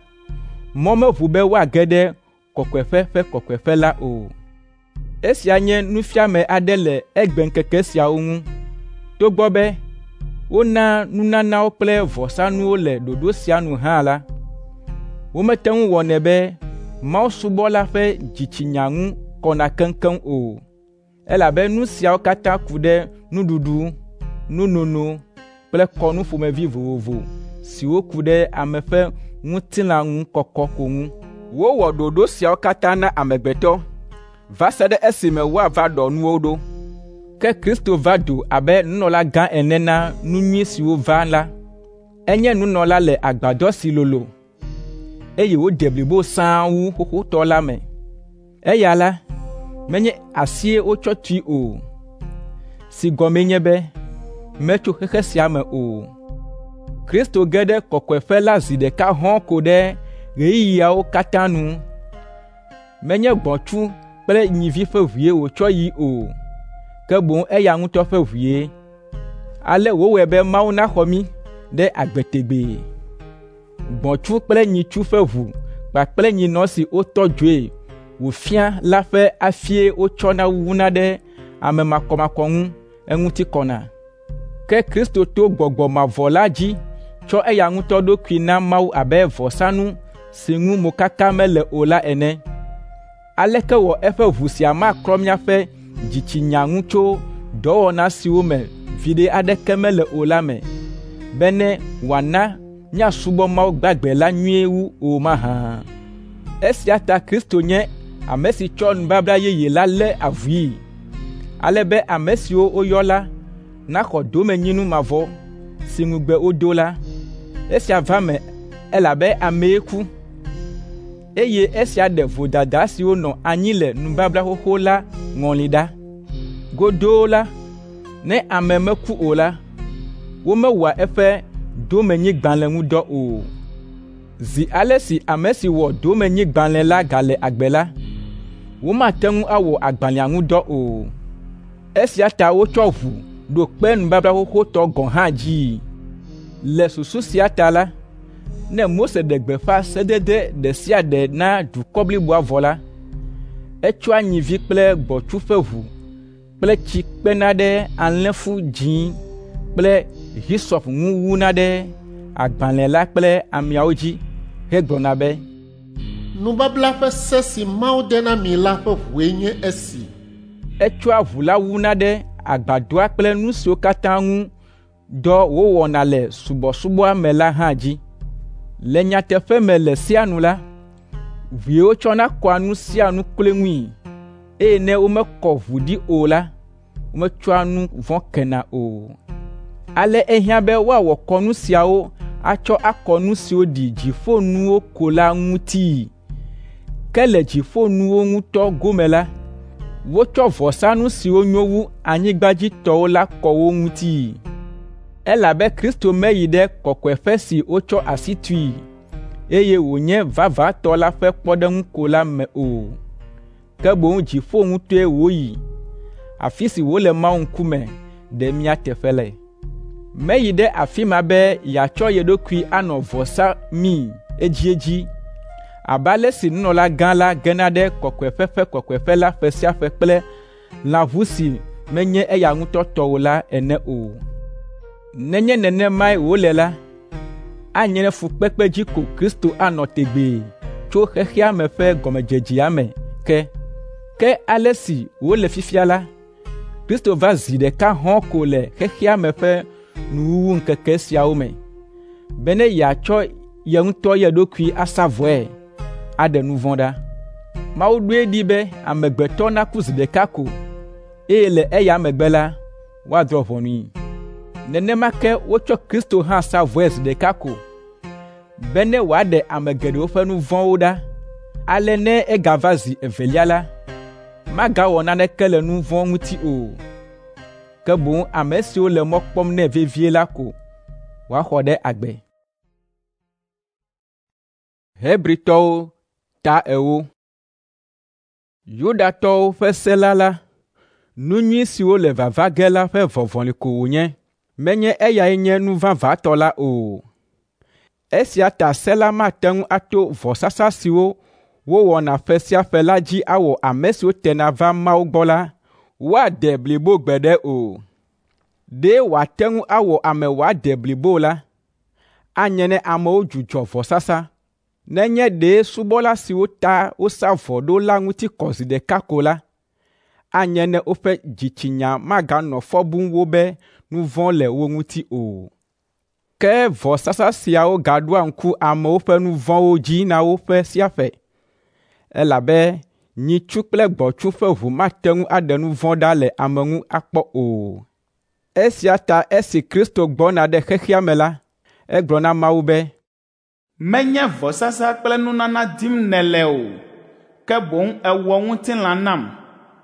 mɔ meʋu be woage ɖe kɔkɔeƒe ƒe kɔkɔeƒe la o. Esia nye nufiame aɖe le egbeŋkeke siawo ŋu. Togbɔ be wona nunanawo kple vɔsanuwo le ɖoɖo sia nu hã la, womete ŋu wɔnɛ be mawusubɔla ƒe dzitsinya ŋu kɔna keŋkeŋ o, elabe nu siawo katã ku ɖe nuɖuɖu, nunono kple kɔnu ƒomevi vovovo siwo ku ɖe ame ƒe ŋutilã ŋu kɔkɔ ko ŋu. Wowɔ ɖoɖo siawo katã na amegbetɔ va se ɖe esime woava ɖɔ nuwo ɖo. Ke Kristo va do abe nunɔlagã ene na nu nyui siwo va la. Enye nunɔla le agbadɔ si lolo, eye wòde blibo sãa wu xoxotɔ la me. Eya la, menye asie wotsɔ tui o, si gɔmee nye be metso xexe sia me o. Kristo ge ɖe kɔkɔeƒe la zi ɖeka hɔ̃ɔ ko ɖe ɣeyiɣiawo katã nu. Menye gbɔ̃tsu kple nyivi ƒe ʋue wòtsɔ yi o, ke boŋ eya ŋutɔ ƒe ʋue. Ale wòwɔe be Mawu naxɔ mí ɖe agbe tegbee. Gbɔ̃tsu kple nyitsu ƒe ʋu kpakple nyinɔ si wotɔ dzoe wòfia la ƒe afie wotsɔna wuna ɖe ame makɔmakɔ ŋu eŋuti kɔna. Ke Kristo to Gbɔgbɔ mavɔ la dzi tsɔ eya ŋutɔ ɖokui na Mawu abe vɔsanu si ŋu mokaka mele o la ene. Aleke wɔ eƒe ʋu sia maklɔ míaƒe dzitsinya ŋu tso dɔwɔna siwo me viɖe aɖeke mele o la me, bene wòana míasubɔ Mawu gbagbe la nyuie wu o mahã? Esia ta Kristo nye ame si tsɔ nubabla yeye la lé avui, ale be ame siwo woyɔ la naxɔ domenyinu mavɔ si ŋugbe wodo la. Esia va eme elabe amee ku, eye esia ɖe vodada siwo nɔ anyi le nubabla xoxo la ŋɔli ɖa. Godoo la, ne ame meku o la, womewɔa eƒe domenyigbalẽ ŋu dɔ o. Zi ale si ame si wɔ domenyigbalẽ la gale agbe la, womate ŋu awɔ agbalẽa ŋu dɔ o. Esia ta wotsɔ ʋu ɖo kpe nubabla xoxotɔ gɔ̃ hã dzii. Le susu sia ta la, ne Mose ɖe gbeƒã sedede ɖe sia ɖe na dukɔ bliboa vɔ la, etsɔa nyivi kple gbɔ̃tsu ƒe ʋu kple tsi kpena ɖe alẽfu dzĩ kple hisɔp ŋu wuna ɖe agbalẽ la kple ameawo dzi hegblɔna be, Nubabla ƒe se si Mawu de na mi la ƒe ʋue nye esi. Etsɔa ʋu la wuna ɖe agbadɔa kple nu siwo katã ŋu dɔ wowɔna le subɔsubɔa me la hã dzi. Le nyateƒe me le sea nu la, ʋue wotsɔna kɔa nu sia nu kloe ŋui, eye ne womekɔ ʋu ɖi o la, wometsɔa nu vɔ̃ kena o. Ale ehiã be woawɔ kɔnu siawo atsɔ akɔ nu siwo ɖi dziƒonuwo ko la ŋutii. Ke le dziƒonuwo ŋutɔ gome la, wotsɔ vɔsanu siwo nyo wu anyigbadzitɔwo la kɔ wo ŋutii. Elabe Kristo meyi ɖe kɔkɔeƒe si wotsɔ asi tui, eye wònye vavãtɔ la ƒe kpɔɖeŋu ko la me o, ke boŋ dziƒo ŋutɔe wòyi, afi si wòle Mawu ŋkume ɖe mía teƒe le. Meyi ɖe afi ma be yeatsɔ ye ɖokui anɔ vɔsa mii edziedzi abe ale si nunɔlagã la gena ɖe kɔkɔeƒe ƒe kɔkɔeƒe la ƒe sia ƒe kple lãʋu si menye eya ŋutɔ tɔ o la ene o. Nenye nenemae wòle la, anye ne fukpekpe dzi ko Kristo anɔ tegbee tso xexea me ƒe gɔmedzedzea me ke. Ke ale si wòle fifia la, Kristo va zi ɖeka hɔ̃ɔ ko le xexea me ƒe nuwuwu ŋkeke siawo me, bene yeatsɔ ye ŋutɔ ye ɖokui asa vɔe aɖe nu vɔ̃ ɖa. Mawu ɖoe ɖi be amegbetɔ naku zi ɖeka ko, eye le eya megbe la, woadrɔ̃ ʋɔnui. Nenema ke wotsɔ Kristo hã sa vɔe zi ɖeka ko, bene wòaɖe ame geɖewo ƒe nu vɔ̃wo ɖa. Ale ne egava zi evelia la, magawɔ naneke le nu vɔ̃ ŋuti o, ke boŋ ame siwo le mɔ kpɔm nɛ vevie la ko wòaxɔ ɖe agbe. Hebritɔwo ta ewo. Yudatɔwo ƒe se la la, nu nyui siwo le vava ge la ƒe vɔvɔli ko wònye, menye eyae nye nu vavãtɔ la o. Esia ta se la mate ŋu ato vɔsasa siwo wowɔna ƒe sia ƒe la dzi awɔ ame siwo tena va Mawu gbɔ la woade blibo gbeɖe o. Ɖe wòate ŋu awɔ ame wòade blibo la, anye ne amewo dzudzɔ vɔsasa. Nenye ɖe subɔla siwo ta wosa vɔ ɖo la ŋuti kɔ zi ɖeka ko la, anye ne woƒe dzitsinya maganɔ fɔ bum wo be nu vɔ̃ le wo ŋuti o. Ke vɔsasa siawo gaɖoa ŋku amewo ƒe nu vɔ̃wo dzi na wo ƒe sia ƒe, elabe nyitsu kple gbɔ̃tsu ƒe ʋu mate ŋu aɖe nu vɔ̃ ɖa le ame ŋu akpɔ o. Esia ta esi Kristo gbɔna ɖe xexea me la, egblɔ na Mawu be, Menye vɔsasa kple nunana dim nèle o, ke boŋ èwɔ ŋutilã nam.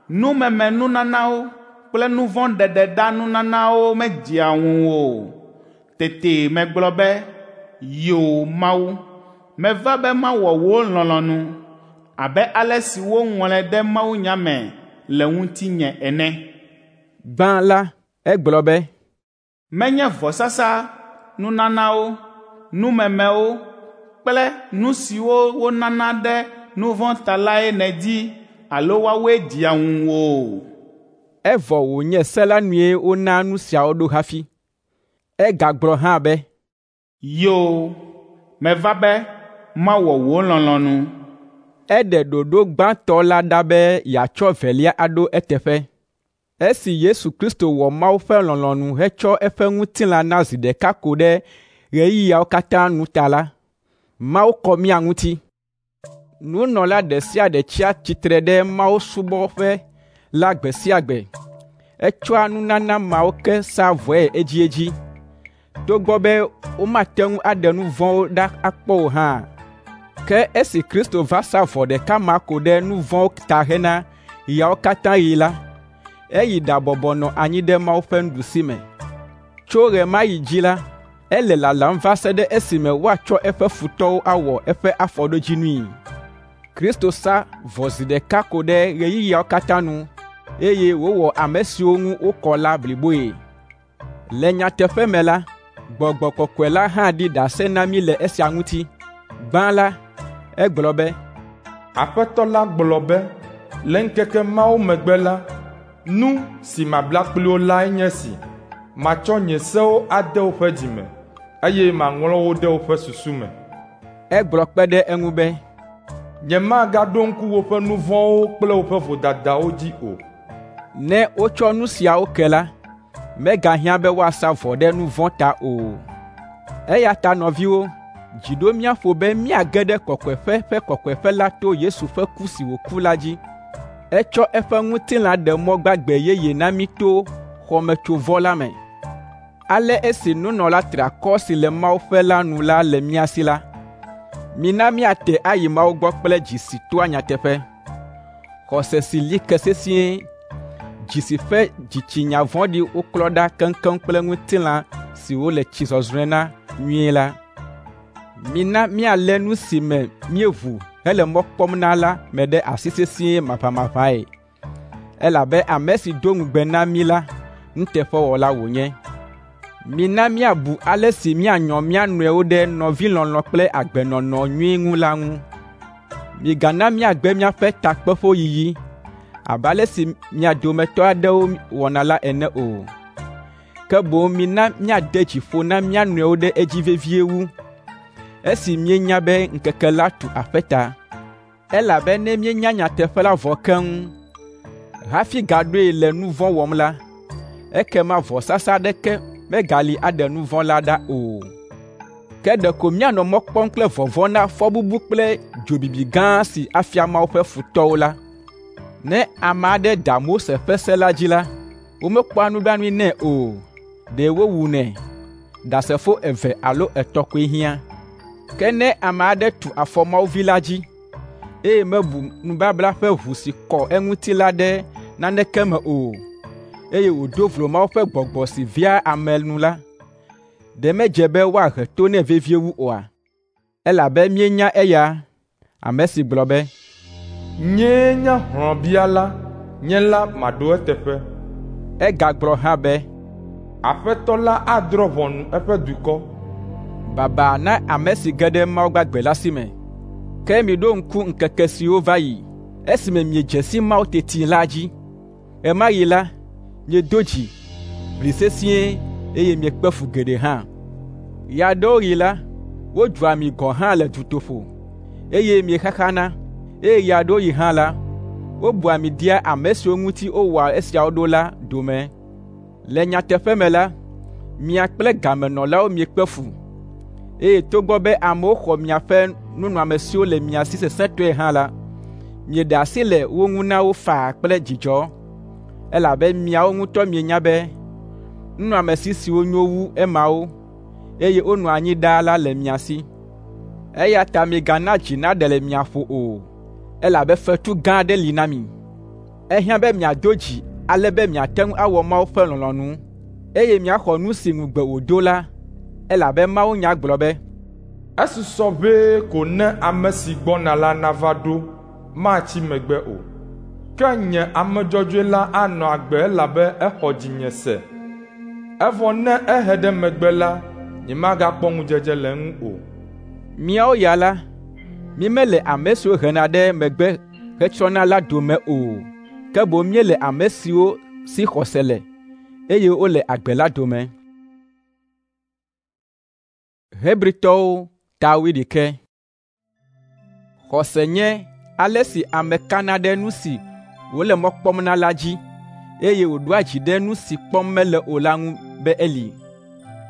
Numeme nunanawo kple nu vɔ̃ ɖeɖeɖa nunanawo medzea ŋuwò o. Tete megblɔ be, Yoo Mawu, meva be mawɔ wò lɔlɔ̃nu abe ale si woŋlɔe ɖe mawunya me le ŋutinye ene. Gbã la, egblɔ be, Menye vɔsasa, nunanawo, numemewo kple nu siwo wonana ɖe nu vɔ̃ ta lae nèdi alo woawoe dzea ŋuwò o. Evɔ wònye se la nue wona nu siawo ɖo hafi. Egagblɔ hã be, Yoo, meva be mawɔ wò lɔlɔ̃nu. Eɖe ɖoɖo gbãtɔ la ɖa be yeatsɔ velia aɖo eteƒe. Esi Yesu Kristo wɔ Mawu ƒe lɔlɔ̃nu hetsɔ eƒe ŋutilã na zi ɖeka ko ɖe ɣeyiɣiawo katã nu ta la, Mawu kɔ mía ŋuti. Nunɔla ɖe sia ɖe tsia tsitre ɖe mawusubɔƒe la gbe sia gbe. Etsɔa nunana mawo ke saa vɔe edziedzi, togbɔ be womate ŋu aɖe nu vɔ̃wo ɖa akpɔ o hã. Ke esi Kristo va sa vɔ ɖeka ma ko ɖe nu vɔ̃wo ta hena ɣeawo katã ɣi la, eyi ɖabɔbɔ nɔ anyi ɖe Mawu ƒe nuɖusime. Tso ɣe ma ɣi dzi la, ele lalam va se ɖe esime woatsɔ eƒe futɔwo awɔ eƒe afɔɖodzinui. Kristo sa vɔ zi ɖeka ko ɖe ɣeyiɣiawo katã nu, eye wòwɔ ame siwo ŋu wokɔ la bliboe. Le nyateƒe me la, Gbɔgbɔ Kɔkɔe la hã ɖi ɖase na mí le esia ŋuti. Gbã la, egblɔ be, Aƒetɔ la gblɔ be, le ŋkeke mawo megbe la, nu si mabla kpli wo lae nye esi: matsɔ nye sewo ade woƒe dzi me, eye maŋlɔ wo ɖe woƒe susu me. Egblɔ kpe ɖe eŋu be, Nyemagaɖo ŋku woƒe nu vɔ̃wo kple woƒe vodadawo dzi o. Ne wotsɔ nu siawo ke la, megahiã be woasa vɔ ɖe nu vɔ̃ ta o. Eya ta nɔviwo, dzi ɖo mía ƒo be míage ɖe kɔkɔeƒe ƒe kɔkɔeƒe la to Yesu ƒe ku si wòku la dzi. Etsɔ eƒe ŋutilã ɖe mɔ gbagbe yeye na mí to xɔmetsovɔ la me. Ale esi nunɔla triakɔ si le Mawu ƒe la nu la le mía si la, mina míate ayi Mawu gbɔ kple dzi si toa nyateƒe, xɔse si li ke sesĩe, dzi si ƒe dzitsinya vɔ̃ɖi woklɔ ɖa keŋkeŋ kple ŋutilã si wole tsi zɔzrɔ̃e na nyuie la. Mina míalé nu si me míeʋu hele mɔ kpɔm na la me ɖe asi sesĩe maʋamaʋãe, elabe ame si do ŋugbe na mí la, nuteƒewɔla wònye. Mina míabu ale si míanyɔ mía nɔewo ɖe nɔvilɔlɔ̃ kple agbenɔnɔ nyui ŋu la ŋu. Migana míagbe míaƒe takpeƒoyiyi abe ale si mia dometɔ aɖewo wɔna la ene o. Ke boŋ mina míade dzi ƒo na mía nɔewo ɖe edzi vevie wu, esi míenya be ŋkeke la tu aƒe ta. Elabe ne míenya nyateƒe la vɔ keŋ hafi gaɖoe le nu vɔ̃ wɔm la, ekema vɔsasa aɖeke megali aɖe nu vɔ̃ la ɖa o. Ke ɖeko míanɔ mɔ kpɔm kple vɔvɔ̃ na fɔbubu kple dzobibi gã si afia Mawu ƒe futɔwo la. Ne ame aɖe da Mose ƒe se la dzi la, womekpɔa nublanui nɛ o, ɖe wowunɛ. Ɖasefo eve alo etɔ̃ koe hiã. Ke ne ame aɖe tu afɔ Mawu Vi la dzi, eye mebu nubabla ƒe ʋu si kɔ eŋuti la ɖe naneke me o, eye wòdo vlo Mawu ƒe Gbɔgbɔ si vea ame nu la, ɖe medze be woahe to nɛ vevie wu oa? Elabe míenya eya, ame si gblɔ be, Nyee nye hlɔ̃biala, nye la maɖo eteƒe. Egagblɔ hã be, Aƒetɔ la adrɔ̃ ʋɔnu eƒe dukɔ. Baba na ame si ge ɖe Mawu gbagbe la si me. Ke miɖo ŋku ŋkeke siwo va yi, esime miedze si Mawu teti la dzi. Ɣe ma ɣi la, miedo dzi, ʋli sesĩe eye miekpe fu geɖe hã. Ɣe aɖewo ɣi la, wodzua mi gɔ̃ hã le dutoƒo, eye miexaxana, eye ɣe aɖewo ɣi hã la, wobua mi dea ame siwo ŋuti wowɔa esiawo ɖo la dome. Le nyateƒe me la, mia kple gamenɔlawo miekpe fu, eye togbɔ be amewo xɔ miaƒe nunɔamesiwo le mia si sesẽtɔe hã la, mieɖe asi le wo ŋu na wo faa kple dzidzɔ, elabe miawo ŋutɔ mienya be nunɔamesi siwo nyo wu emawo, eye wonɔa anyi ɖaa la le mia si. Eya ta migana dzi naɖe le mia ƒo o, elabe fetu gã aɖe li na mi. Ehiã be miado dzi ale be miate ŋu awɔ Mawu ƒe lɔlɔ̃nu, eye miaxɔ nu si ŋugbe wòdo la, elabe mawunya gblɔ be, Esusɔ ʋɛe ko ne ame si gbɔna la nava ɖo, matsi megbe o. Ke nye ame dzɔdzɔe la anɔ agbe elabe exɔ dzinye se. Evɔ ne ehe ɖe megbe la, nyemagakpɔ ŋudzedze le eŋu o. Míawo ya la, mímele ame siwo hena ɖe megbe hetsrɔ̃na la dome o, ke boŋ míele ame siwo si xɔse le, eye wole agbe la dome. Hebritɔwo ta wuiɖekɛ. Xɔse nye ale si ame kana ɖe nu si wòle mɔ kpɔm na la dzi, eye wòɖoa dzi ɖe nu si kpɔm mele o la ŋu be eli.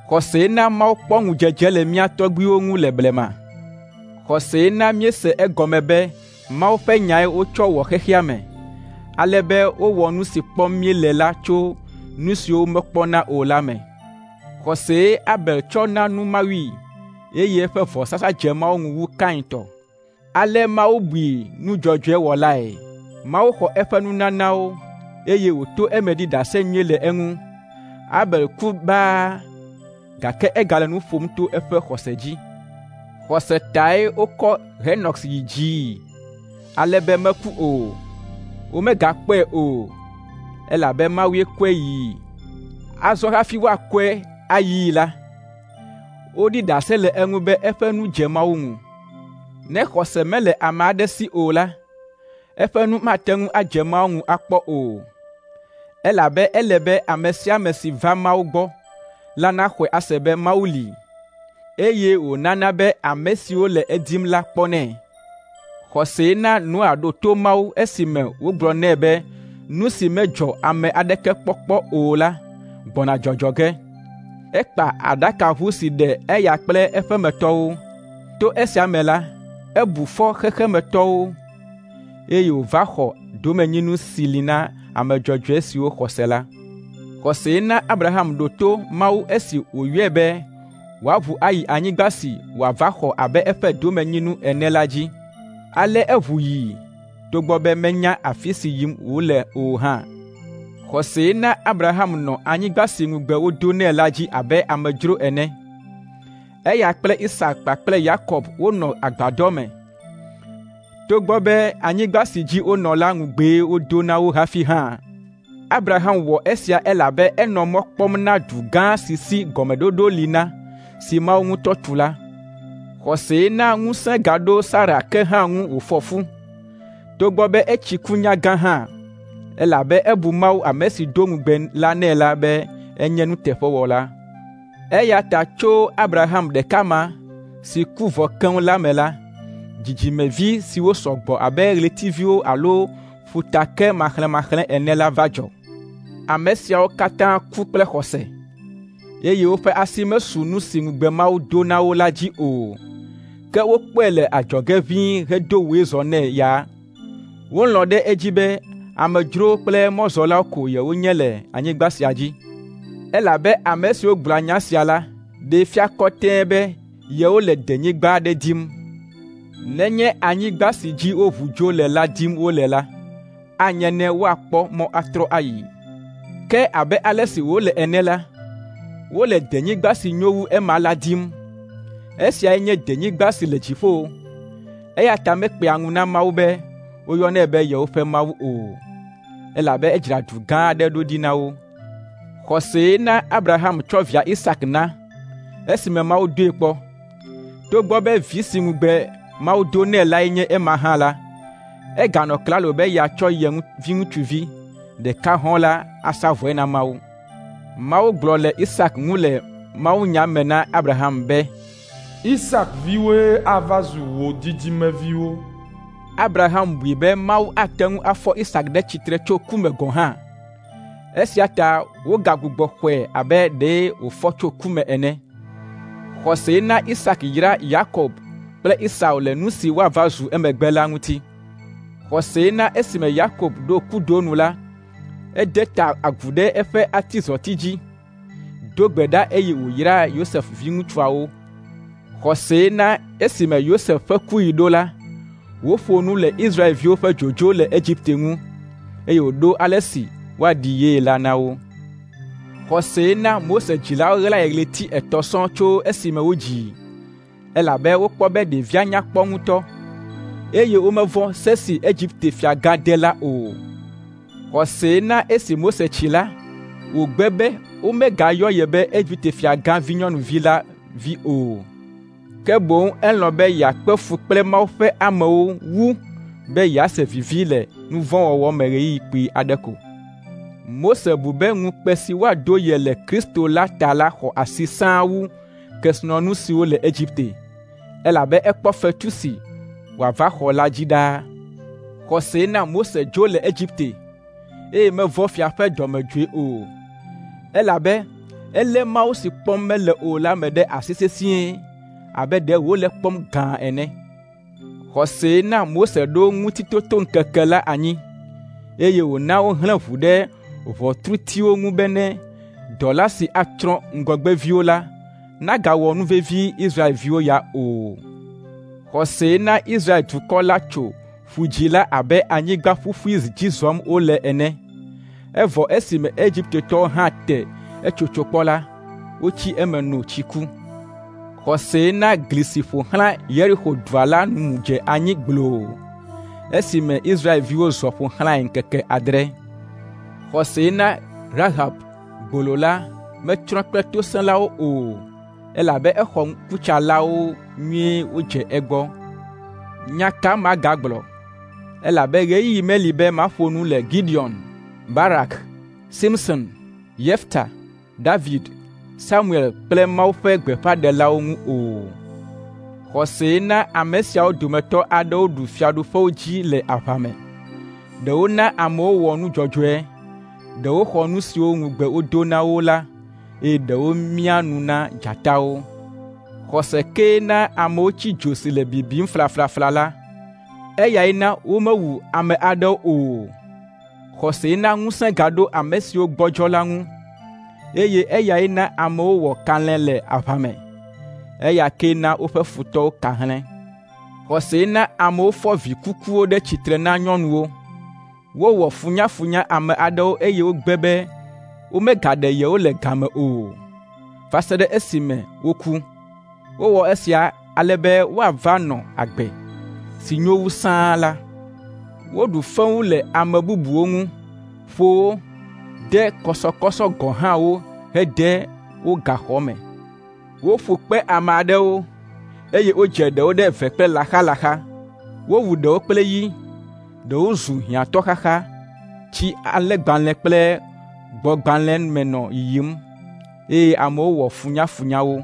Xɔsee na Mawu kpɔ ŋudzedze le mía tɔgbuiwo ŋu le blema. Xɔsee na míese egɔme be Mawu ƒe nyae wotsɔ wɔ xexea me, ale be wowɔ nu si kpɔm míele la tso nu siwo womekpɔna o la me. Xɔsee Abel tsɔ na nu Mawui, eye eƒe vɔsasa dze Mawu ŋu wu Kain tɔ. Ale Mawu bui nu dzɔdzɔe wɔlae. Mawu xɔ eƒe nunanawo, eye wòto eme ɖi ɖase nyui le eŋu. Abel ku baa, gake egale nu ƒom to eƒe xɔse dzi. Xɔse tae wokɔ Henɔk yi dzii, ale be meku o. Womegakpɔe o, elabe Mawue kɔe yii. Azɔ hafi woakɔe ayii la, woɖi ɖase le eŋu be eƒe nu dze Mawu ŋu. Ne xɔse mele ame aɖe si o la, eƒe nu mate ŋu adze Mawu ŋu akpɔ o, elabe ele be ame sia ame si va Mawu gbɔ la naxɔe ase be Mawu li, eye wònana be ame siwo le edim la kpɔnɛ. Xɔsee na Noa ɖo to Mawu esime wògblɔ nɛ be nu si medzɔ ame aɖeke kpɔkpɔ o la gbɔna dzɔdzɔ ge. Ekpa aɖakaʋu si ɖe eya kple eƒemetɔwo. To esia me la, ebu fɔ xexemetɔwo, eye wòva xɔ domenyinu si li na ame dzɔdzɔe siwo xɔ se la. Xɔsee na Abraham ɖo to Mawu esi wòyɔe be wòaʋu ayi anyigba si wòava xɔ abe eƒe domenyinu ene la dzi. Ale eʋu yi, togbɔ be menya afi si yim wòle o hã. Xɔsee na Abraham nɔ anyigba si ŋugbe wodo nɛ la dzi abe amedzro ene. Eya kple Isak kpakple Yakob wonɔ agbadɔ me, togbɔ be anyigba si dzi wonɔ la ŋugbee wodo na wo hafi hã. Abraham wɔ esia elabe enɔ mɔ kpɔm na du gã si si gɔmeɖoɖo li na, si Mawu ŋutɔ tu la. Xɔsee na ŋusẽ gaɖo Sara ke hã ŋu wòfɔ fu, togbɔ be etsi ku nyagã hã, elabe ebu Mawu ame si do ŋugbe la nɛ la be enye nuteƒewɔla. Eya ta tso Abraham ɖeka ma si ku vɔ keŋ la me la, dzidzimevi siwo sɔ gbɔ abe ɣletiviwo alo ƒutake maxlẽmaxlẽ ene la va dzɔ. Ame siawo katã ku kple xɔse, eye woƒe asi mesu nu si ŋugbe Mawu do na wo la dzi o. Ke wokpɔe le adzɔge ʋĩi hedo wòezɔ nɛ ya. Wolɔ̃ ɖe edzi be amedzrowo kple mɔzɔlawo ko yewonye le anyigba sia dzi. Elabe ame siwo gblɔa nya sia la ɖee fia kɔtɛe be yewole denyigba aɖe dim. Nenye anyigba si dzi woʋu dzo le la dim wole la, anye ne woakpɔ mɔ atrɔ ayi. Ke abe ale si wòle ene la, wole denyigba si nyo wu ema la dim. Esiae nye denyigba si le dziƒo. Eya ta mekpea ŋu na Mawu be woyɔnɛ be yewoƒe Mawu o, elabe edzra du gã aɖe ɖo ɖi na wo. Xɔsee na Abraham tsɔ via Isak na esime Mawu doe kpɔ. Togbɔ be vi si ŋugbe Mawu do nɛ lae nye ema hã la, eganɔ klalo be yeatsɔ ye viŋutsuvi ɖeka hɔ̃ la asa vɔe na Mawu. Mawu gblɔ le Isak ŋu le mawunya me na Abraham be, Isak viwoe ava zu wò dzidzimeviwo. Abraham bui be Mawu ate ŋu afɔ Isak ɖe tsitre tso ku me gɔ̃ hã. Esia ta wogagbugbɔ xɔe abe ɖe wòfɔ tso ku me ene. Xɔsee na Isak yra Yakob kple Esau le nu si woava zu emegbe la ŋuti. Xɔsee na esime Yakob ɖo kudo nu la, ede ta agu ɖe eƒe atizɔti dzi, do gbe ɖa eye wòyra Yosef viŋutsuawo. Xɔsee na esime Yosef ƒe kuɣi ɖo la, wòƒo nu le Israelviwo ƒe dzodzo le Egipte ŋu, eye wòɖo ale si woaɖi yee la na wo. Xɔsee na Mose dzilawo ɣlae ɣleti etɔ̃ sɔŋ tso esime wodzii, elabe wokpɔ be ɖevia nya kpɔ ŋutɔ, eye womevɔ̃ se si Egipte fiagã de la o. Xɔsee na esi Mose tsi la, wògbe be womegayɔ ye be Egipte fiagã vinyɔnuvi la vi o. Ke boŋ elɔ̃ be yeakpe fu kple Mawu ƒe amewo wu be yease vivi le nu vɔ̃ wɔwɔ me ɣeyiɣi kpui aɖe ko. Mose bu be ŋukpe si woado ye le Kristo la ta la xɔ asi sãa wu kesinɔnu siwo le Egipte, elabe ekpɔ fetu si wòava xɔ la dzi ɖaa. Xɔsee na Mose dzo le Egipte, eye mevɔ̃ fia ƒe dɔmedzoe o, elabe elé Mawu si kpɔm mele o la me ɖe asi sesĩe abe ɖe wòle kpɔm gãa ene. Xɔsee na Mose ɖo ŋutitotoŋkeke la anyi, eye wòna wohlẽ ʋu ɖe ʋɔtrutiwo ŋu bene dɔla si atsrɔ̃ ŋgɔgbeviwo la nagawɔ nu vevi Israelviwo ya o. Xɔsee na Israel dukɔ la tso Ƒu Dzĩ la abe anyigba ƒuƒui dzi zɔm wole ene. Evɔ esime Egiptetɔwo hã te etsotso kpɔ la, wotsi eme no tsi ku. Xɔsee na gli si ƒo xlã Yeriko dua la nu dze anyi gbloo esime Israelviwo zɔ ƒo xlãe ŋkeke adre. Xɔsee na Rahab gbolo la metsrɔ̃ kple tosẽlawo o, elabe exɔ ŋkutsalawo nyuie wodze egbɔ. Nya ka magagblɔ? Elabe ɣeyiɣi meli be maƒo nu le Gideon, Barak, Simson, Yefta, David, Samuel kple Mawu ƒe gbeƒãɖelawo ŋu o. Xɔsee na ame siawo dometɔ aɖewo ɖu fiaɖuƒewo dzi le aʋa me. Ɖewo na amewo wɔ nu dzɔdzɔe, ɖewo xɔ nu siwo ŋugbe wodo na wo la, eye ɖewo mia nu na dzatawo. Xɔse kee na amewo tsi dzo si le bibim flaflafla la. Eyae na womewu ame aɖewo o. Xɔsee na ŋusẽ gaɖo ame siwo gbɔdzɔ la ŋu, eye eyae na amewo wɔ kalẽ le aʋa me. Eya kee na woƒe futɔwo ka hlẽ. Xɔsee na amewo fɔ vi kukuwo ɖe tsitre na nyɔnuwo. Wowɔ funyafunya ame aɖewo eye wogbe be womegaɖe yewo le game o, va se ɖe esime woku. Wowɔ esia ale be woava nɔ agbe si nyo wu sãa la. Woɖu fewu le ame bubuwo ŋu, ƒo wo, de kɔsɔkɔsɔ gɔ̃ hã wo hede wo gaxɔ me. Woƒo kpe ame aɖewo, eye wodze ɖewo ɖe eve kple laxalaxa. Wowu ɖewo kple yi, ɖewo zu hiãtɔ xaxa, tsi alẽgbalẽ kple gbɔ̃gbalẽ me nɔ yiyim. eye amewo wɔ funyafunya wo.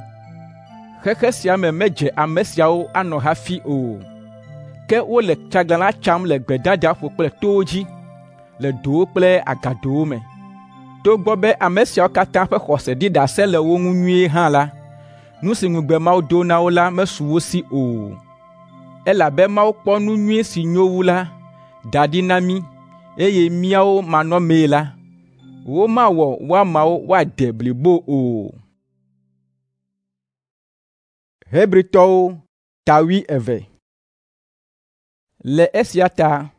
Xexe sia me medze ame siawo anɔ hafi o. Ke wole tsaglãla tsam le gbedadaƒo kple towo dzi, le dowo kple agadowo me. Togbɔ be ame siawo katã ƒe xɔse ɖi ɖase le wo ŋu nyuie hã la, nu si ŋugbe Mawu do na wo la mesu wo si o. Elabe Mawu kpɔ nu nyui si nyo wu la da ɖi na mí, eye míawo manɔmee la, womawɔ woamawo woade blibo o. Hebritɔwo ta wuieve. Le esia ta,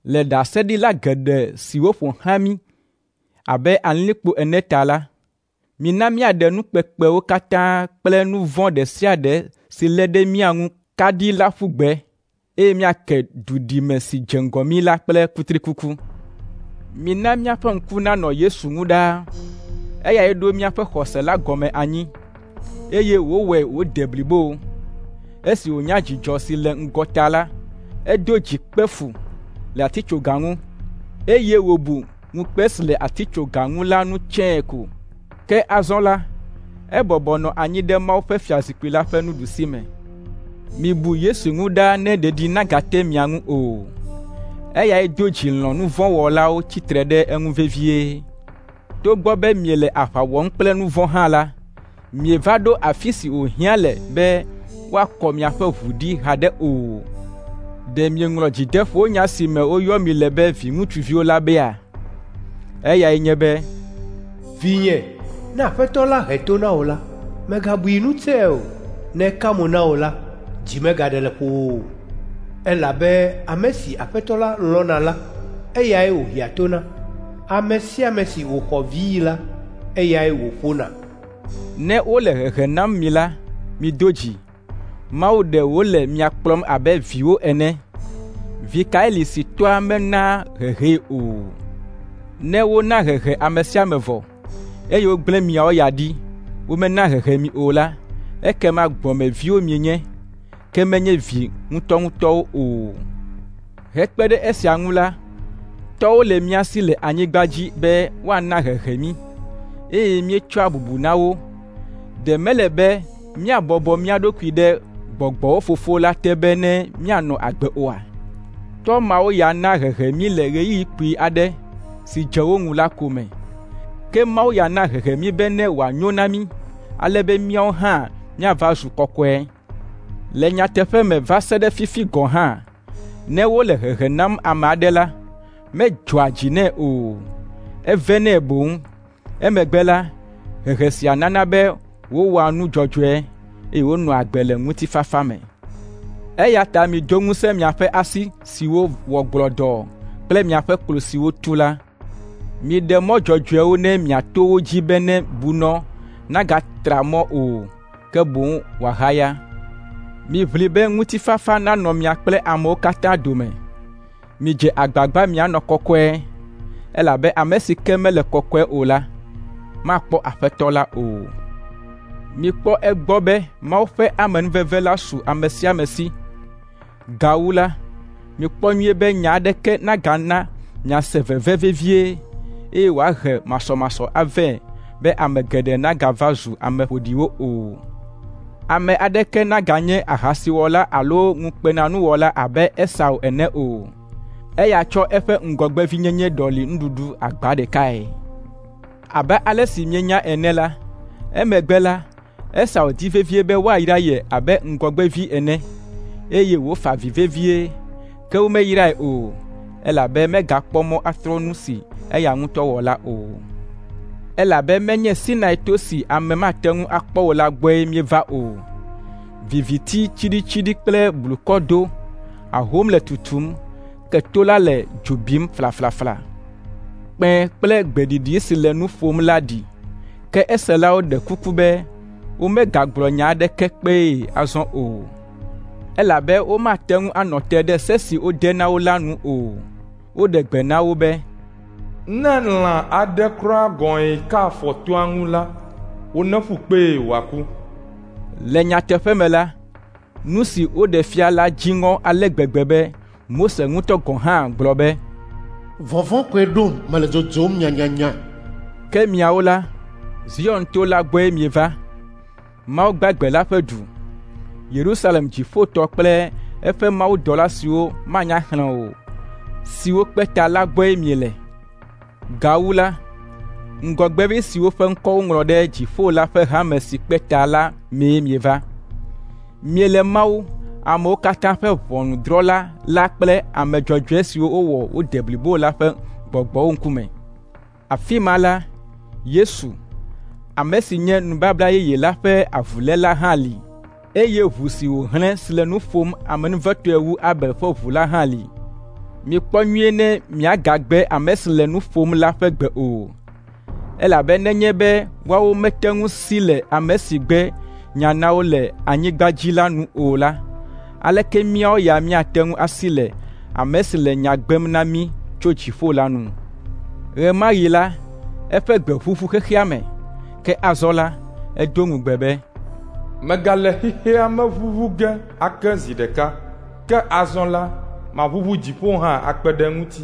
le ɖaseɖila geɖe siwo ƒo xlã mí abe alilikpo ene ta la, mina míaɖe nu kpekpewo katã kple nu vɔ̃ ɖe sia ɖe si lé ɖe mía ŋu kaɖi la ƒu gbe, eye míake duɖime si dze ŋgɔ mí la kple kutrikuku. Mina míaƒe ŋku nanɔ Yesu ŋu ɖaa. Eyae ɖo míaƒe xɔse la gɔme anyi, eye wòwɔe wòde blibo. Esi wònya dzidzɔ si le ŋgɔ ta la, edo dzi kpe fu le atitsoga ŋu, eye wòbu ŋukpe si le atitsoga ŋu la nu tsɛe ko. Ke azɔ la, ebɔbɔ nɔ anyi ɖe Mawu ƒe fiazikpui la ƒe nuɖusime. Mibu Yesu ŋu ɖaa ne ɖeɖi nagate mia ŋu o. Eyae do dzi lɔ̃ nu vɔ̃ wɔlawo tsitre ɖe eŋu vevie. Togbɔ be miele aʋa wɔm kple nu vɔ̃ hã la, mieva ɖo afi si wòhiã le be woakɔ miaƒe ʋu ɖi haɖe o. Ɖe mieŋlɔ dzideƒonya si me woyɔ mi le be viŋutsuviwo la bea? Eyae nye be, Vinye, ne Aƒetɔ la he to na wò la, mègabui nu tsɛe o. Ne eka mo na wò la, dzi megaɖe le ƒowò o. Elabe ame si Aƒetɔ la lɔ̃na la, eyae wòhea to na. Ame sia ame si wòxɔ vii la, eyae wòƒona. Ne wole hehe nam mi la, mido dzi. Mawu ɖe wòle mia kplɔm abe viwo ene. Vi kae li si tɔa menaa hehee o? Ne wona hehe ame sia ame vɔ, eye wogblẽ miawo ya ɖi, womena hehe mi o la, ekema gbɔmeviwo mienye, ke menye vi ŋutɔŋutɔwo o. Hekpe ɖe esia ŋu la, tɔwo le mía si le anyigba dzi be woana hehe mí, eye míetsɔa bubu na wo. Ɖe mele be míabɔbɔ mía ɖokui ɖe gbɔgbɔwo Fofo la te be ne míanɔ agbe oa? Tɔ mawo ya na hehe mí le ɣeyiɣi kpui aɖe si dze wo ŋu la ko me. Ke Mawu ya na hehe mí be ne wòanyo na mí, ale be míawo hã míava zu kɔkɔe. Le nyateƒe me va se ɖe fifi gɔ̃ hã, ne wole hehe nam ame aɖe la, medzɔa dzi nɛ o, evenɛ boŋ. Emegbe la, hehe sia nana be wowɔa nu dzɔdzɔe, eye wonɔa agbe le ŋutifafa me. Eya ta mido ŋusẽ miaƒe asi siwo wɔ gblɔdɔɔ kple miaƒe klo siwo tu la. Miɖe mɔ dzɔdzɔewo ne miato wo dzi be ne bunɔ nagatra mɔ o, ke boŋ wòahaya. Miʋli be ŋutifafa nanɔ mia kple amewo katã dome. Midze agbagba mianɔ kɔkɔe, elabe ame si ke mele kɔkɔe o la, makpɔ Aƒetɔ la o. Mikpɔ egbɔ be Mawu ƒe amenuveve la su ame sia ame si. Gawu la, mikpɔ nyuie be nya aɖeke nagana miase veve vevie, eye wòahe masɔmasɔ avɛ be ame geɖe nagava zu ame ƒoɖiwo o. Ame aɖeke naganye ahasiwɔla alo ŋukpenanuwɔla abe Esau ene o. Eya tsɔ eƒe ŋgɔgbevinyenye ɖɔli nuɖuɖu agba ɖekae. Abe ale si míenya ene la, emegbe la, Esau di vevie be woayra ye abe ŋgɔgbevi ene, eye wòfa avi vevie, ke womeyrae o, elabe megakpɔ mɔ atrɔ nu si eya ŋutɔ wɔ la o. Elabe menye Sinai to si ame mate ŋu akpɔ o la gbɔe míeva o. Viviti tsiɖitsiɖi kple blukɔ do, ahom le tutum, ke to la le dzo bim flaflafla. Kpẽ kple gbeɖiɖi si le nu ƒom la ɖi, ke eselawo ɖe kuku be womegagblɔ nya aɖeke kpee azɔ o, elabe womate ŋu anɔ te ɖe se si wode na wo la nu o. Woɖe gbe na wo be, Ne lã aɖe kura gɔ̃e ka afɔ toa ŋu la, woneƒu kpee wòaku. Le nyateƒe me la, nu si woɖe fia la dzi ŋɔ ale gbegbe be Mose ŋutɔ gɔ̃ hã gblɔ be, Vɔvɔ̃ koe ɖom mele dzodzom nyanyanya. Ke miawo la, Zion to la gbɔe mieva, Mawu gbagbe la ƒe du, Yerusalem dziƒotɔ kple eƒe mawudɔla siwo manya xlẽ o, siwo kpe ta la gbɔe miele. Gawu la, ŋgɔgbevi siwo ƒe ŋkɔ woŋlɔ ɖe dziƒo la ƒe hame si kpe ta la mee mieva. Miele Mawu, amewo katã ƒe ʋɔnudrɔ̃la la kple ame dzɔdzɔe siwo wowɔ wode blibo la ƒe gbɔgbɔwo ŋkume. Afi ma la, Yesu, ame si nye nubabla yeye la ƒe avuléla hã li, eye ʋu si wòhlẽ si le nu ƒom amenuvetɔe wu Abel ƒe ʋu la hã li. Mikpɔ nyuie ne miagagbe ame si le nu ƒom la ƒe gbe o, elabe nenye be woawo mete ŋu si le ame si gbe nya na wo le anyigba dzi la nu o la, aleke míawo ya míate ŋu asi le ame si le nya gbem na mí tso dziƒo la nu? Ɣe ma ɣi la, eƒe gbe ʋuʋu xexea me, ke azɔ la, edo ŋugbe be, Megale xexea me ʋuʋu ge ake zi ɖeka, ke azɔ la, maʋuʋu dziƒo hã akpe ɖe eŋuti.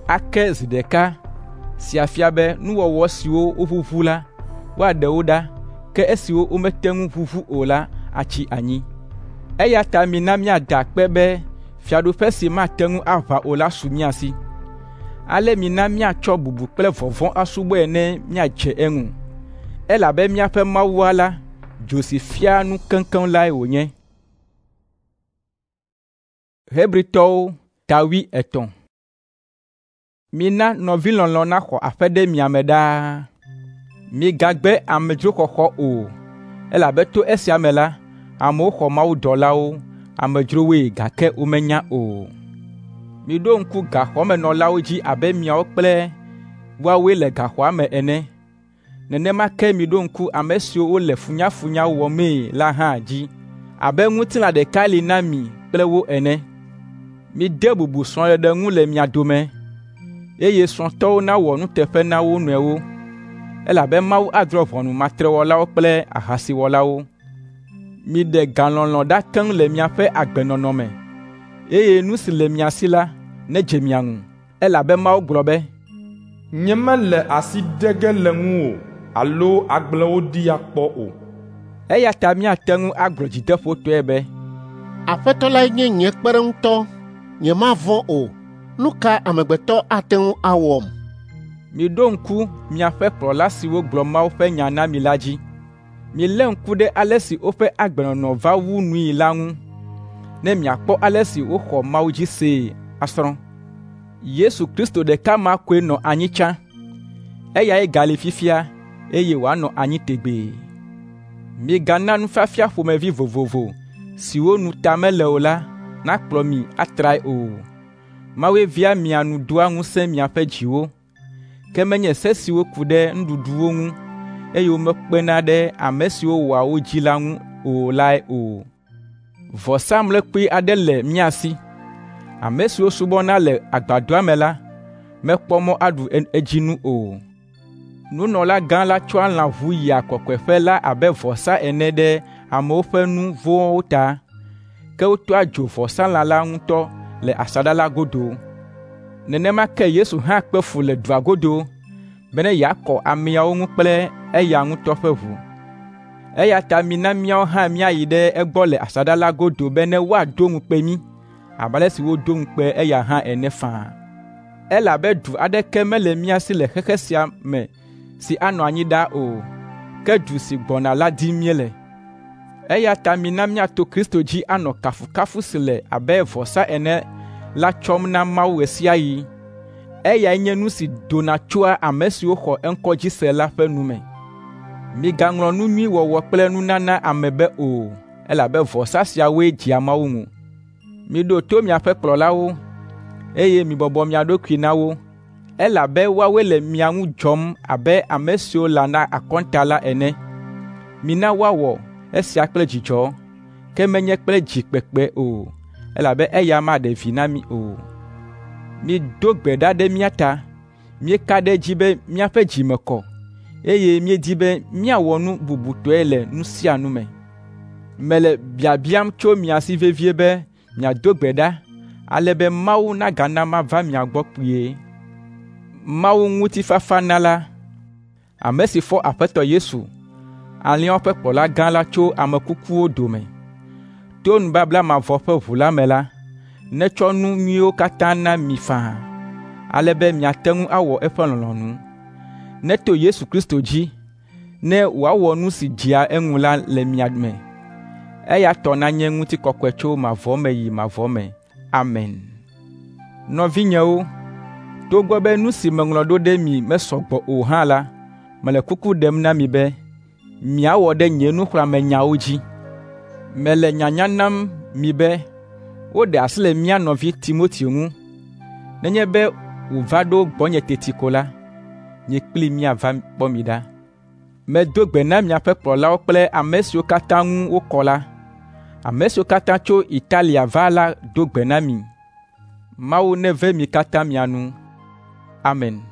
Ake zi ɖeka sia fia be nuwɔwɔ siwo woʋuʋu la, woaɖe wo ɖa, ke esiwo womete ŋu ʋuʋu o la atsi anyi. Eya ta mina míada akpe be fiaɖuƒe si mate ŋu aʋa o la su mía si. Ale mina míatsɔ bubu kple vɔvɔ̃ asubɔe ne míadze eŋu, elabe míaƒe Mawua la, dzo si fiaa nu keŋkeŋ lae wònye. Hebritɔwo ta wui etɔ̃. Mina nɔvilɔlɔ̃ naxɔ aƒe ɖe mia me ɖaa. Migagbe amedzroxɔxɔ o, elabe to esia me la, amewo xɔ mawudɔlawo, amedzrowoe gake womenya o. Miɖo ŋku gaxɔmenɔlawo dzi abe miawo kple woawoe le gaxɔa me ene. Nenema ke miɖo ŋku ame siwo wole funyafunya wɔmee la hã dzi abe ŋutilã ɖeka li na mi kple wo ene. Mide bubu srɔ̃ɖeɖe ŋu le mia dome, eye srɔ̃tɔwo nawɔ nuteƒe na wo nɔewo, elabe Mawu adrɔ̃ ʋɔnu matrewɔlawo kple ahasiwɔlawo. Miɖe galɔlɔ̃ ɖa keŋ le miaƒe agbenɔnɔ me, eye nu si le mia si la nedze mia ŋu, elabe Mawu gblɔ be, Nyemele asi ɖe ge le ŋuwò alo agblẽ wò ɖi akpɔ o. Eya ta míate ŋu agblɔ dzideƒotɔe be, Aƒetɔ lae nye nye kpeɖeŋutɔ, nyemavɔ̃ o. Nu ka amegbetɔ ate ŋu awɔm? Miɖo ŋku miaƒe kplɔla siwo gblɔ Mawu ƒe nya na mi la dzi. Milé ŋku ɖe ale si woƒe agbenɔnɔ va wu nui la ŋu, ne miakpɔ ale si woxɔ Mawu dzi see asrɔ̃. Yesu Kristo ɖeka ma koe nɔ anyi tsã, eyae gali fifia, eye wòanɔ anyi tegbee. Migana nufiafia ƒomevi vovovo siwo nu ta mele o la nakplɔ mi atrae o. Mawue via mia nu doa ŋusẽ miaƒe dziwo, ke menye se siwo ku ɖe nuɖuɖuwo ŋu, eye womekpena ɖe ame siwo wɔa wo dzi la ŋu o lae o. Vɔsamlekpui aɖe le mía si. Ame siwo subɔna le agbadɔa me la mekpɔ mɔ aɖu edzi nu o. Nunɔlagã la tsɔa lãʋu yia kɔkɔeƒe la abe vɔsa ene ɖe amewo ƒe nu vɔ̃wo ta, ke wotɔa dzo vɔsalã la ŋutɔ le asaɖa la godo. Nenema ke Yesu hã kpe fu le dua godo bene yeakɔ ameawo ŋu kple eya ŋutɔ ƒe ʋu. Eya ta mina míawo hã míayi ɖe egbɔ le asaɖa la godo bene woado ŋukpe mí abe ale si wodo ŋukpe eya hã ene faa. Elabe du aɖeke mele mía si le xexe sia me si anɔ anyi ɖaa o, ke du si gbɔna la dim míele. Eya ta mina míato Kristo dzi anɔ kafukafu si le abe vɔsa ene la tsɔm na Mawu ɣe sia ɣi. Eyae nye nu si dona tsoa ame siwo xɔ eŋkɔ dzi se la ƒe nu me. Migaŋlɔ nu nyui wɔwɔ kple nunana ame be o, elabe vɔsa siawoe dzea Mawu ŋu. Miɖo to miaƒe kplɔlawo, eye mibɔbɔ mia ɖokui na wo, elabe woawoe le mia ŋu dzɔm abe ame siwo lana akɔnta la ene. Mina woawɔ esia kple dzidzɔ, ke menye kple dzi kpekpe o, elabe eya maɖe vi na mi o. Mido gbe ɖa ɖe mía ta. Míeka ɖe edzi be míaƒe dzi me kɔ, eye míedi be míawɔ nu bubutɔe le nu sia nu me. Mele biabiam tso mia si vevie be miado gbe ɖa ale be Mawu nagana mava mia gbɔ kpuie. Mawu ŋutifafanala, ame si fɔ Aƒetɔ Yesu, alẽawo ƒe kplɔla gã la tso ame kukuwo dome. To nubabla mavɔ ƒe ʋu la me la, netsɔ nu nyuiwo katã na mi faa, ale be miate ŋu awɔ eƒe lɔlɔ̃nu. Neto Yesu Kristo dzi, ne wòawɔ nu si dzea eŋu la le mia me. Eya tɔ nanye ŋutikɔkɔe tso mavɔ me yi mavɔ me. Amen. Nɔvinyewo, togbɔ be nu si meŋlɔ ɖo ɖe mi mesɔ gbɔ o hã la, mele kuku ɖem na mi be miawɔ ɖe nye nuxlɔ̃amenyawo dzi. Mele nyanya nam mi be woɖe asi le mía nɔvi Timoteo ŋu. Nenye be wòva ɖo gbɔnye teti ko la, nye kplii míava kpɔ mi ɖa. Medo gbe na miaƒe kplɔlawo kple ame siwo katã ŋu wokɔ la. Ame siwo katã tso Italia va la do gbe na mi. Mawu neve mi katã mia nu. Amen.